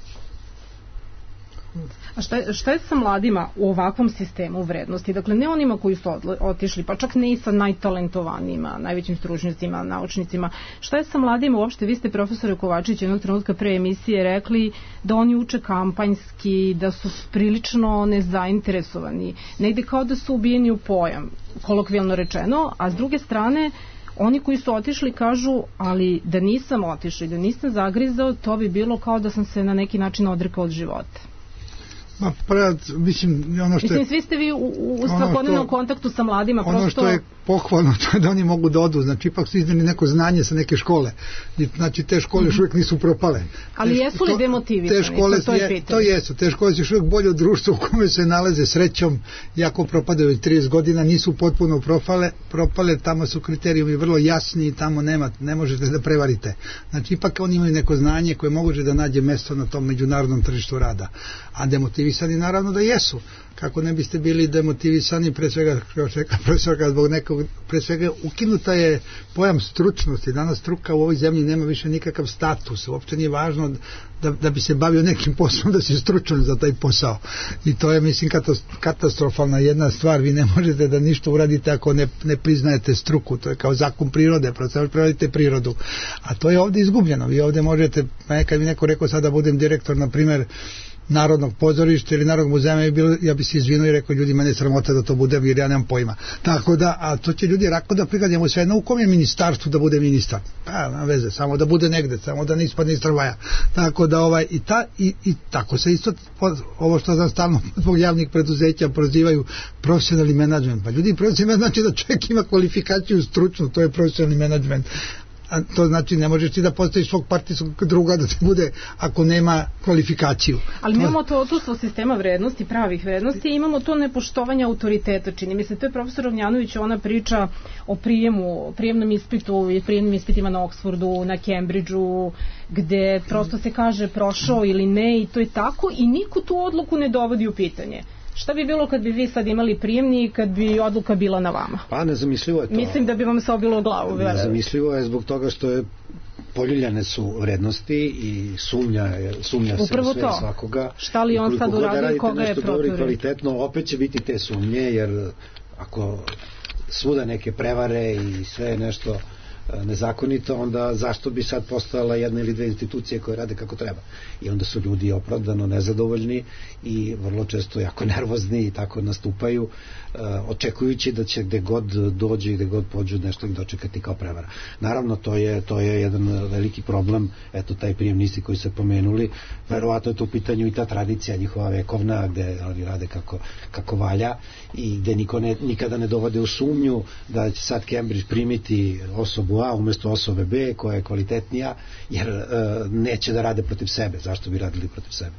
[SPEAKER 5] A šta je sa mladima u ovakvom sistemu vrednosti? Dakle, ne onima koji su otišli, pa čak ne i sa najtalentovanijima, najvećim stručnjacima, naučnicima. Šta je sa mladima uopšte? Vi ste, profesore Kovačić, jednog trenutka pre emisije rekli da oni uče kampanjski, da su prilično nezainteresovani. Negde kao da su ubijeni u pojam, kolokvijalno rečeno, a s druge strane oni koji su otišli kažu, ali da nisam otišao i da nisam zagrizao, to bi bilo kao da sam se na neki način odrekao od života.
[SPEAKER 7] Mislim,
[SPEAKER 5] svi ste vi u svakodnevnom kontaktu sa mladima.
[SPEAKER 7] Ono što je pohvalno, to je da oni mogu da odu, znači ipak su izneli neko znanje sa neke škole, znači te škole još uvijek nisu propale.
[SPEAKER 5] Ali jesu li demotivisani?
[SPEAKER 7] To jesu, te škole su još uvijek bolje od društva u kome se nalaze srećom, jako propadaju 30 godina, nisu potpuno propale, tamo su kriterijumi vrlo jasni i tamo ne možete da prevarite. Znači ipak oni imaju neko znanje koje može da nađe mesto na tom međunarodnom tržištu rada, a demotivisani naravno da jesu. Kako ne biste bili demotivisani, pre svega, kao što rekao profesorka, zbog nekog, pre svega ukinuta je pojam stručnosti. Danas struka u ovoj zemlji nema više nikakav status. Uopšte nije važno da bi se bavio nekim poslom, da si stručan za taj posao. I to je, mislim, katastrofalna jedna stvar. Vi ne možete da ništa uradite ako ne priznajete struku. To je kao zakon prirode, prevodite prirodu. A to je ovde izgubljeno. Vi ovde možete, kad bi neko rekao sad da budem direktor, na primer, Narodnog pozorišta ili Narodnog muzeja, ja bi se izvinuo i rekao, ljudi, mene sramota da to bude, jer ja nemam pojma. Tako da, a to će ljudi rako da prikladimo sve, u kom je ministarstvu da bude ministar? Pa, na veze, samo da bude negde, samo da ne ispadne iz tramvaja. Tako da, i tako se isto, ovo što znam stalno zbog javnih preduzeća prozivaju profesionalni menadžment. Pa ljudi, profesionalni znači da čovjek ima kvalifikaciju stručnu, to je profesionalni menadžment. A to znači ne možeš ti da postaviš svog partijskog druga da ti bude ako nema kvalifikaciju.
[SPEAKER 5] Ali mi imamo to odsustvo sistema vrednosti, pravih vrednosti, i imamo to nepoštovanje autoriteta. Čini mi se, to je profesor Rovnjanović, ona priča o prijemnom ispitu i prijemnim ispitima na Oxfordu, na Cambridgeu, gde prosto se kaže prošao ili ne, i to je tako, i niko tu odluku ne dovodi u pitanje. Šta bi bilo kad bi vi sad imali prijemni i kad bi odluka bila na vama?
[SPEAKER 4] Pa nezamislivo je to.
[SPEAKER 5] Mislim da bi vam se obilo u glavu.
[SPEAKER 4] Nezamislivo je zbog toga što je poljuljane su vrednosti i sumnja se u sve svakoga.
[SPEAKER 5] Šta li on sad uradio, koga je proturio?
[SPEAKER 4] Kvalitetno, opet će biti te sumnje, jer ako svuda neke prevare i sve nešto nezakonito, onda zašto bi sad postojala jedna ili dve institucije koje rade kako treba? I onda su ljudi opravdano nezadovoljni i vrlo često jako nervozni i tako nastupaju, očekujući da će gde god dođe i gde god pođu nešto ih dočekati kao prevara. Naravno, to je jedan veliki problem, eto taj prijemni ispit koji se pomenuli, verovatno je to u pitanju i ta tradicija njihova vekovna, gde oni rade kako valja i gde niko nikada ne dovode u sumnju da će sad Cambridge primiti osobu A umesto osobe B koja je kvalitetnija, jer neće da rade protiv sebe. Zašto bi radili protiv sebe?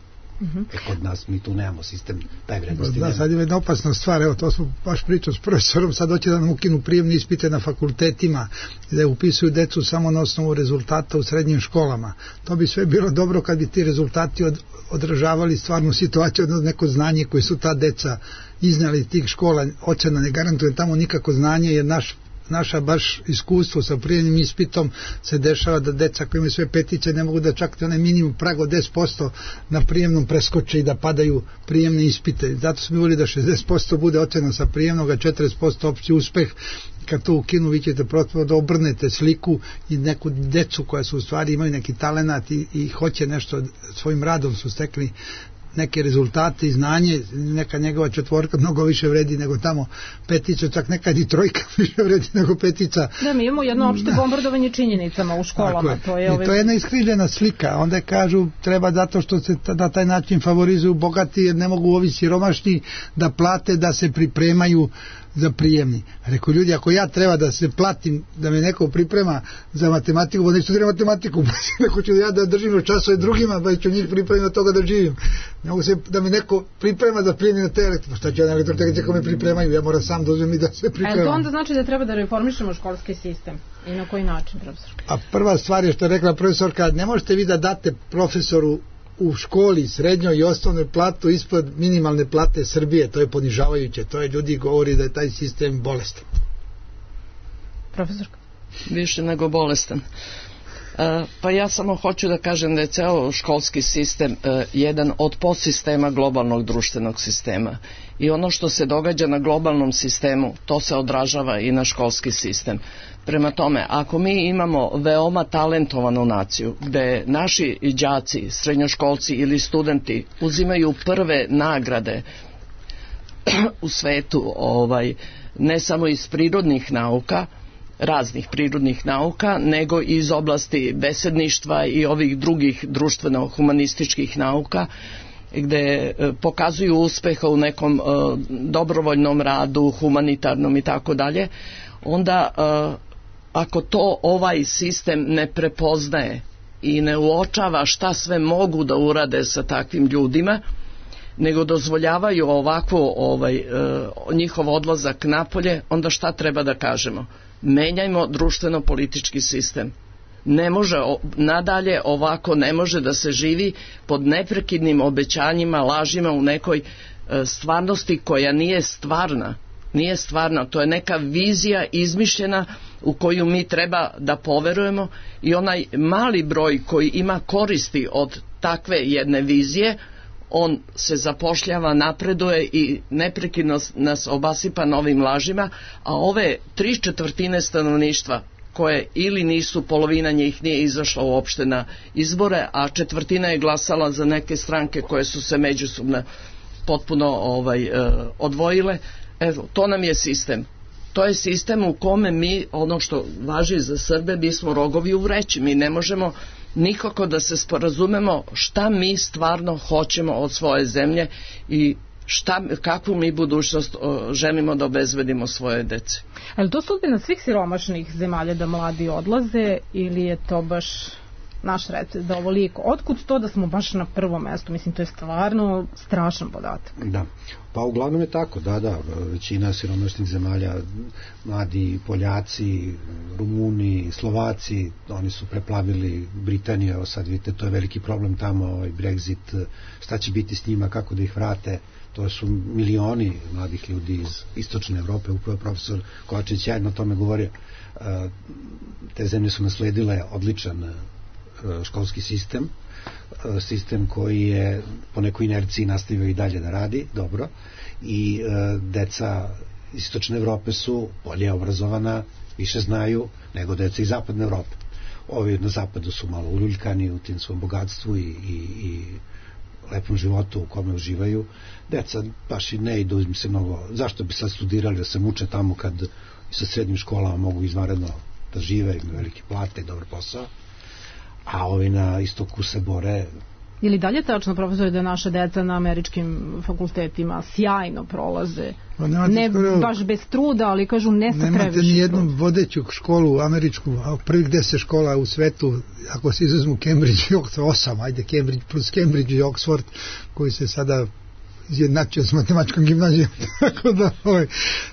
[SPEAKER 4] Kod nas mi tu nemamo sistem taj vrednosti.
[SPEAKER 7] Da, sad je jedna opasna stvar, evo to smo baš pričali s profesorom, sad hoće da nam ukinu prijemne ispite na fakultetima, da upisuju decu samo na osnovu rezultata u srednjim školama. To bi sve bilo dobro kad bi ti rezultati odražavali stvarnu situaciju, odnosno neko znanje koje su ta deca iznali iz tih škola. Ocena ne garantuje tamo nikako znanje, jer naša baš iskustvo sa prijemnim ispitom se dešava da deca koji imaju sve petice ne mogu da čak onaj minimum prag od 10% na prijemnom preskoče i da padaju prijemne ispite. Zato smo volili da 60% bude ocena sa prijemnog, a 40% opći uspeh. Kad to ukinu, vi ćete prosto da obrnete sliku i neku decu koja su u stvari imaju neki talenat i hoće nešto, svojim radom su stekli neke rezultate i znanje, neka njegova četvorka mnogo više vredi nego tamo petica, čak nekad i trojka više vredi nego petica.
[SPEAKER 5] Da, mi imamo jedno opšte bombardovanje činjenicama u školama.
[SPEAKER 7] To je jedna iskrivljena slika. Onda kažu treba zato što se na taj način favorizuju bogati, jer ne mogu ovi siromašni da plate da se pripremaju za prijemni. Rekao, ljudi, ako ja treba da se platim da me neko priprema za matematiku, pa neću studiram matematiku, neko ću ja da držim časove drugima, pa ću njih pripremiti od toga da živim. Ne mogu se da mi neko priprema za prijemni na te elektro. Šta će ja na elektrotehnici ako me pripremaju? Ja moram sam da uzmem i da se pripremam.
[SPEAKER 5] To onda znači da treba da reformišemo školski sistem. I na koji način, profesor?
[SPEAKER 7] A prva stvar je što je rekla profesorka, ne možete vi da date profesoru u školi, srednjoj i osnovnoj platu ispod minimalne plate Srbije, to je ponižavajuće, to je ljudi govori da je taj sistem bolestan.
[SPEAKER 5] Profesorka?
[SPEAKER 8] Više nego bolestan. Pa ja samo hoću da kažem da je ceo školski sistem jedan od podsistema globalnog društvenog sistema i ono što se događa na globalnom sistemu, to se odražava i na školski sistem. Prema tome, ako mi imamo veoma talentovanu naciju, gde naši đaci, srednjoškolci ili studenti uzimaju prve nagrade u svetu, ne samo iz prirodnih nauka, raznih prirodnih nauka, nego i iz oblasti besedništva i ovih drugih društveno-humanističkih nauka, gde pokazuju uspeha u nekom dobrovoljnom radu, humanitarnom i tako dalje, onda ako to ovaj sistem ne prepoznaje i ne uočava šta sve mogu da urade sa takvim ljudima, nego dozvoljavaju ovakvo njihov odlazak napolje, onda šta treba da kažemo? Menjajmo društveno-politički sistem. Ne može, nadalje ovako ne može da se živi pod neprekidnim obećanjima, lažima u nekoj stvarnosti koja nije stvarna. Nije stvarna, to je neka vizija izmišljena u koju mi treba da poverujemo i onaj mali broj koji ima koristi od takve jedne vizije, on se zapošljava, napreduje i neprekidno nas obasipa novim lažima, a ove 3/4 stanovništva koje ili nisu, polovina njih nije izašla uopšte na izbore, a četvrtina je glasala za neke stranke koje su se međusobno potpuno odvojile. Evo, to nam je sistem. To je sistem u kome mi, ono što važi za Srbe, mi smo rogovi u vreći. Mi ne možemo nikako da se sporazumemo šta mi stvarno hoćemo od svoje zemlje i kakvu mi budućnost želimo da obezbedimo svoje dece.
[SPEAKER 5] Ali to sudbina svih siromašnih zemalja da mladi odlaze ili je to baš naš recept da ovoliko? Otkud to da smo baš na prvom mestu? Mislim, to je stvarno strašan podatak.
[SPEAKER 4] Da, pa uglavnom je tako, da, većina siromašnih zemalja, mladi Poljaci, Rumuni, Slovaci, oni su preplavili Britaniju, evo sad vidite, to je veliki problem tamo, Brexit, šta će biti s njima, kako da ih vrate, to su milioni mladih ljudi iz istočne Evrope, upravo profesor Kovačević sjajno o tome govorio. Te zemlje su nasledile odličan školski sistem koji je po nekoj inerciji nastavio i dalje da radi dobro i deca istočne Evrope su bolje obrazovana, više znaju nego deca iz zapadne Evrope. Ovi na zapadu su malo uljuljkani u tim svom bogatstvu i lepom životu u kome uživaju. Deca baš i ne idu im se mnogo, zašto bi sad studirali da se muče tamo kad sa srednjim školama mogu izvanredno da žive, imaju velike plate i dobar posao, a ovi na istoku se bore.
[SPEAKER 5] Ili dalje tačno, profesor, da naša deca na američkim fakultetima sjajno prolaze, ne baš bez truda, ali kažu ne sa previše.
[SPEAKER 7] Nemate ni jednu vodeću školu američku, a prvih 10 škola u svetu, ako se izuzmu Cambridge i Oxford, 8, ajde Cambridge plus Cambridge i Oxford, koji se sada izjednačio s matematičkom gimnazijom. Tako da,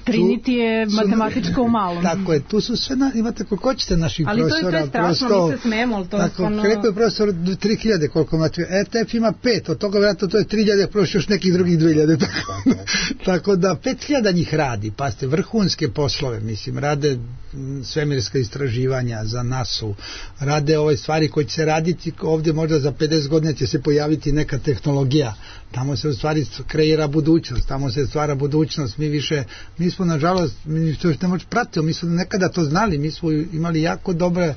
[SPEAKER 5] Trinity je matematičko u malom.
[SPEAKER 7] Tako je, tu su sve, imate koliko ćete naših
[SPEAKER 5] ali
[SPEAKER 7] profesora.
[SPEAKER 5] Ali to je strašno, mi se smemo, ali to je stvarno...
[SPEAKER 7] Rekao je profesor 3000 koliko imate, ETF ima 5, od toga vjerojatno to je 3000, prošlo još nekih drugih 2000. Tako da 5000 njih radi, pasite, vrhunske poslove, mislim, rade svemirska istraživanja za NASA-u, rade ove stvari koje će se raditi ovdje, možda za 50 godina će se pojaviti neka tehnologija, tamo se u stvari kreira budućnost, tamo se stvara budućnost. Mi smo nažalost, mi to ne možemo pratiti, mi smo nekada to znali, mi smo imali jako dobre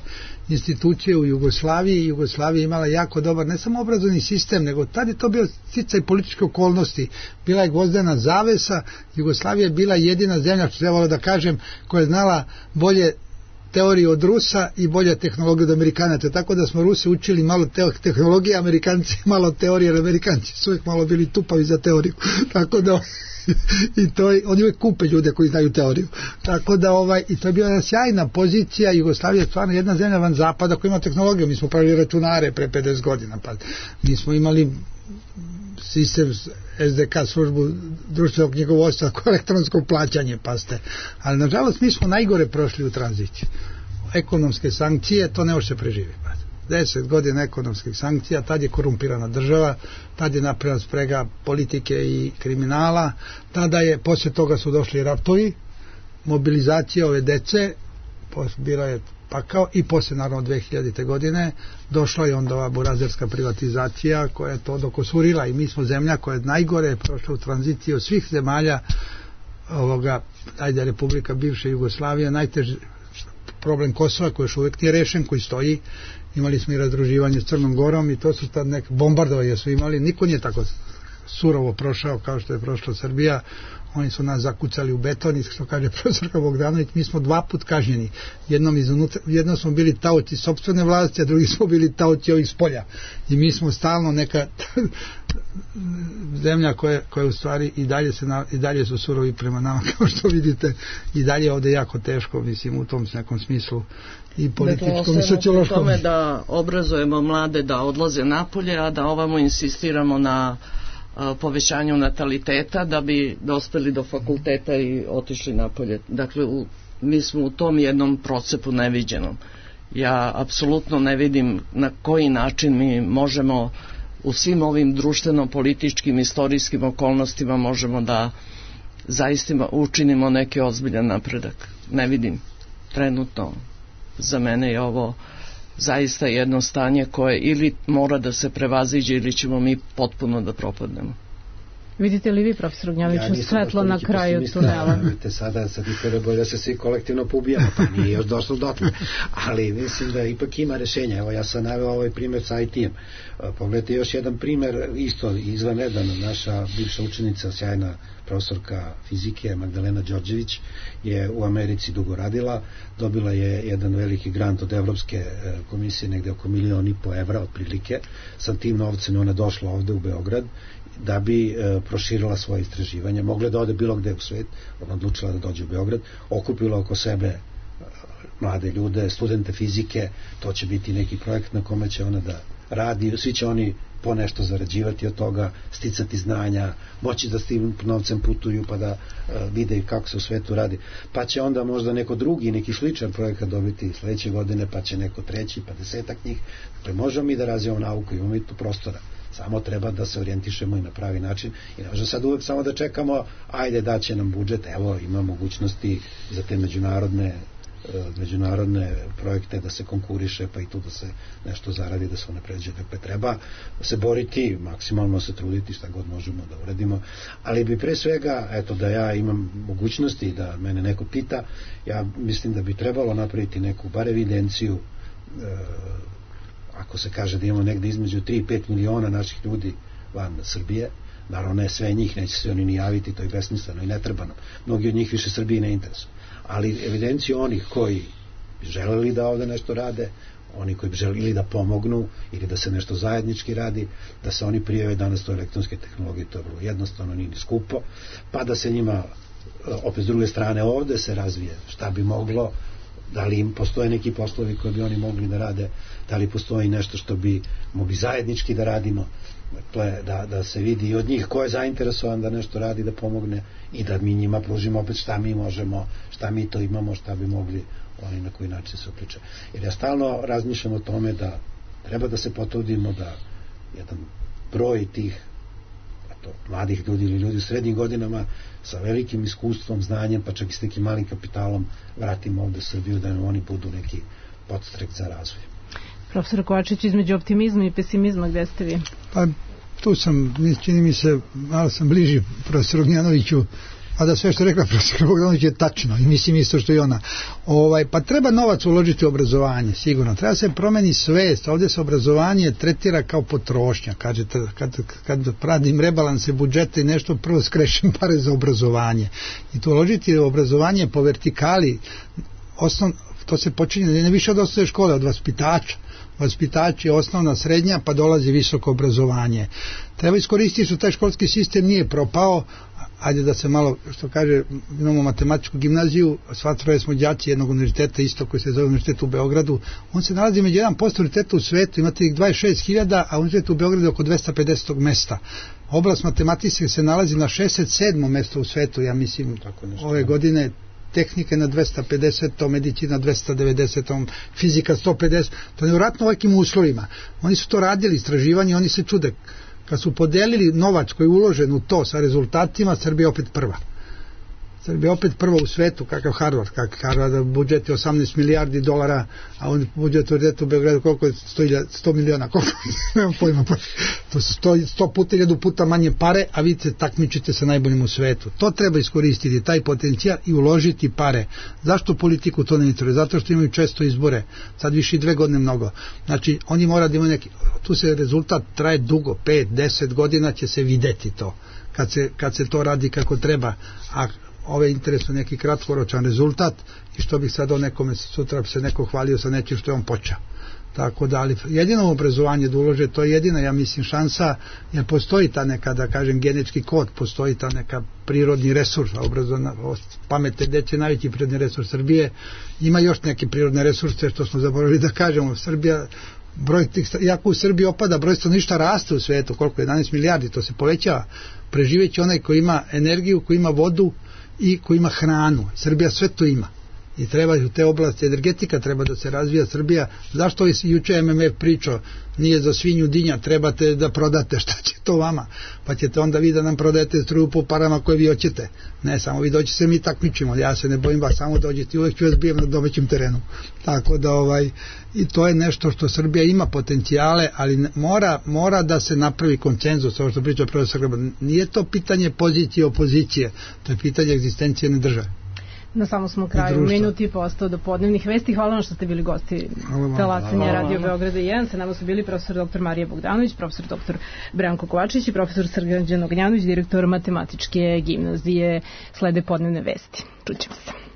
[SPEAKER 7] institucije u Jugoslaviji, Jugoslavija je imala jako dobar, ne samo obrazovni sistem, nego tad je to bio sticaj političke okolnosti, bila je gvozdena zavesa, Jugoslavija je bila jedina zemlja, što trebalo da kažem, koja je znala bolje teoriju od Rusa i bolja tehnologija od Amerikanaca, tako da smo Rusi učili malo tehnologije, Amerikanci malo teorije, jer Amerikanci su uvijek malo bili tupavi za teoriju, tako da i to oni uvijek kupe ljude koji znaju teoriju, tako da i to je bila jedna sjajna pozicija. Jugoslavija je stvarno jedna zemlja van zapada koja ima tehnologiju, mi smo pravili računare pre 50 godina, pa mi smo imali sistem SDK, službu društvenog knjigovodstva, elektronsko plaćanje, paste. Ali nažalost mi smo najgore prošli u tranziciji. Ekonomske sankcije, to ne može se preživjeti. 10 godina ekonomskih sankcija, tad je korumpirana država, tad je napravljena sprega politike i kriminala, tada je, poslije toga su došli ratovi, mobilizacija ove dece, bila je pakao i poslije naravno 2000. godine došla je onda ova burazerska privatizacija koja je to dokosurila i mi smo zemlja koja je najgore prošla u tranziciji od svih zemalja Republika bivše Jugoslavije, najteži problem Kosova koji još uvijek nije rešen, koji stoji, imali smo i razdruživanje s Crnom Gorom i to su tad neke bombardovanje su imali, niko nije tako surovo prošao kao što je prošla Srbija. Oni su nas zakucali u beton i što kaže profesorka Bogdanović, mi smo 2 puta kažnjeni. Jednom smo bili taoci sopstvene vlasti, a drugi smo bili taoci ovih spolja. I mi smo stalno neka zemlja koja u stvari i dalje su surovi prema nama, kao što vidite, i dalje je ovde jako teško, mislim, u tom nekom smislu i političkom i sociološkom.
[SPEAKER 8] Tome da obrazujemo mlade da odlaze napolje, a da ovamo insistiramo na povećanju nataliteta da bi dospeli do fakulteta i otišli napolje. Dakle, mi smo u tom jednom procepu neviđenom. Ja apsolutno ne vidim na koji način mi možemo u svim ovim društveno-političkim, istorijskim okolnostima možemo da zaista učinimo neki ozbiljan napredak. Ne vidim. Trenutno za mene je ovo zaista jedno stanje koje ili mora da se prevaziđe ili ćemo mi potpuno da propadnemo.
[SPEAKER 5] Vidite li vi, profesor Ognjanoviću, svetlo na kraju tunela?
[SPEAKER 4] Sad je bolje da se svi kolektivno poubijamo, pa nije još došlo dotle. Ali mislim da ipak ima rešenja. Evo, ja sam naveo ovaj primjer sa IT-em. Pogledajte još jedan primjer, isto izvanredan. Naša bivša učenica, sjajna profesorka fizike Magdalena Đorđević je u Americi dugo radila, dobila je jedan veliki grant od Evropske komisije, negde oko 1,5 miliona evra otprilike. Sa tim novcem ona došla ovde u Beograd da bi proširila svoje istraživanje. Mogla da ode bilo gde u svet, ona odlučila da dođe u Beograd, okupila oko sebe mlade ljude, studente fizike, to će biti neki projekt na kome će ona da radi, svi će oni po nešto zarađivati od toga, sticati znanja, moći da s tim novcem putuju pa da vide kako se u svetu radi. Pa će onda možda neko drugi, neki sličan projekat dobiti sledeće godine, pa će neko treći, pa 10 njih. Dakle, možemo mi da razvijamo nauku, imamo i tu prostora. Samo treba da se orijentišemo i na pravi način i ne možemo sad uvek samo da čekamo, ajde daće nam budžet, evo ima mogućnosti za te međunarodne projekte da se konkuriše, pa i tu da se nešto zaradi, da se unapređuje. Dakle, treba se boriti, maksimalno se truditi šta god možemo da uradimo, ali bi pre svega, eto, da ja imam mogućnosti da mene neko pita, ja mislim da bi trebalo napraviti neku bar evidenciju, ako se kaže da imamo negde između 3 i 5 miliona naših ljudi van Srbije, naravno ne sve njih, neće se oni ni javiti, to je besmisleno i netrebano, mnogi od njih više Srbije ne interesuju, ali evidenciju onih koji bi želeli da ovde nešto rade, oni koji bi želeli da pomognu ili da se nešto zajednički radi, da se oni prijave. Danas to elektronske tehnologije, to je vrlo jednostavno, nije ni skupo, pa da se njima opet s druge strane ovde se razvije šta bi moglo, da li im postoje neki poslovi koji bi oni mogli da rade, da li postoji nešto što bi mogli zajednički da radimo, dakle, da se vidi i od njih ko je zainteresovan da nešto radi, da pomogne i da mi njima pružimo opet šta mi možemo, šta mi to imamo, šta bi mogli oni na koji način se uključe. Jer ja stalno razmišljam o tome da treba da se potrudimo da jedan broj tih mladih ljudi ili ljudi u srednjim godinama sa velikim iskustvom, znanjem, pa čak i s nekim malim kapitalom vratimo ovde u Srbiju, da nam oni budu neki podstrek za razvoj. Profesor
[SPEAKER 5] Kovačić, između optimizma i pesimizma, gde ste vi?
[SPEAKER 7] Pa tu sam, čini mi se, malo sam bliži profesoru Ognjanoviću, a da sve što rekla profesor Bogdanović je tačno i mislim isto što i ona. Pa treba novac uložiti u obrazovanje, sigurno. Treba se promeni svest. Ovdje se obrazovanje tretira kao potrošnja. Kažete, kad pradim rebalanse budžeta i nešto, prvo skrešim pare za obrazovanje. I to uložiti u obrazovanje po vertikali, to se počinje ne više od osnovne škole, od vaspitača. Vaspitač je osnovna, srednja, pa dolazi visoko obrazovanje. Treba iskoristiti što taj školski sistem nije propao. Ajde da se malo, što kaže, imamo matematičku gimnaziju, sva troje smo đaci jednog univerziteta, isto koji se zove univerzitet u Beogradu, on se nalazi među 1% univerziteta u svetu, imate ih 26.000, a univerzitet u Beogradu je oko 250. mesta. Oblast matematike se nalazi na 67. mesto u svetu, ja mislim, ove godine. Tehnike na 250, medicina 290, fizika 150, to je nevjerojatno ovakvim uslovima. Oni su to radili, istraživanje, oni se čude. Kad su podelili novac koji je uložen u to sa rezultatima, Srbija opet prva. Srbija opet prva u svetu, kakav Harvard, budžet je 18 milijardi dolara, a on budžet u Beogradu koliko je 100 miliona, koliko, nemam pojma, to su 100 puta, 1000 puta manje pare, a vi se takmičite sa najboljim u svetu. To treba iskoristiti, taj potencijal i uložiti pare. Zašto politiku to ne interesuje? Zato što imaju često izbore, sad više i 2 godine mnogo. Znači, oni mora da imaju neki, tu se rezultat traje dugo, 5-10 godina će se videti to, kad se to radi kako treba, a ove interesuje neki kratkoročan rezultat i što bih sad o nekome, sutra se neko hvalio sa nečim što je on počeo. Tako da, ali jedino obrazovanje da ulože, to je jedina, ja mislim, šansa, jer postoji ta neka, da kažem, genetički kod, postoji ta neka prirodni resurs, pametne dece, najveći prirodni resurs Srbije, ima još neke prirodne resurse što smo zaboravili da kažemo, Srbija, iako u Srbiji opada, broj stanovništva raste u svetu, koliko je 11 milijardi, to se povećava, preživeći onaj koji ima energiju, koji ima vodu i koji ima hranu. Srbija sve to ima. i treba u te oblasti, energetika treba da se razvija. Srbija, zašto juče MMF pričao, nije za svinju dinja, trebate da prodate, šta će to vama, pa ćete onda vi da nam prodajete struju po parama koje vi hoćete, ne, samo vi dođete se, mi takmičimo, ja se ne bojim vas, samo dođete i uvek ću vas bijem na domaćem terenu, tako da i to je nešto što Srbija ima potencijale, ali mora da se napravi konsenzus, ovo što priča profesor Graban, nije to pitanje pozicije i opozicije, to je pitanje egzistencijne države.
[SPEAKER 5] Na samo smo kraju, minuti postao do podnevnih vesti. Hvala vam što ste bili gosti Talasanja Radio Beograda 1. Sa nama su bili profesor dr. Marija Bogdanović, profesor dr. Branko Kovačić i profesor Srđan Ognjanović, direktor Matematičke gimnazije. Slede podnevne vesti. Čućemo se.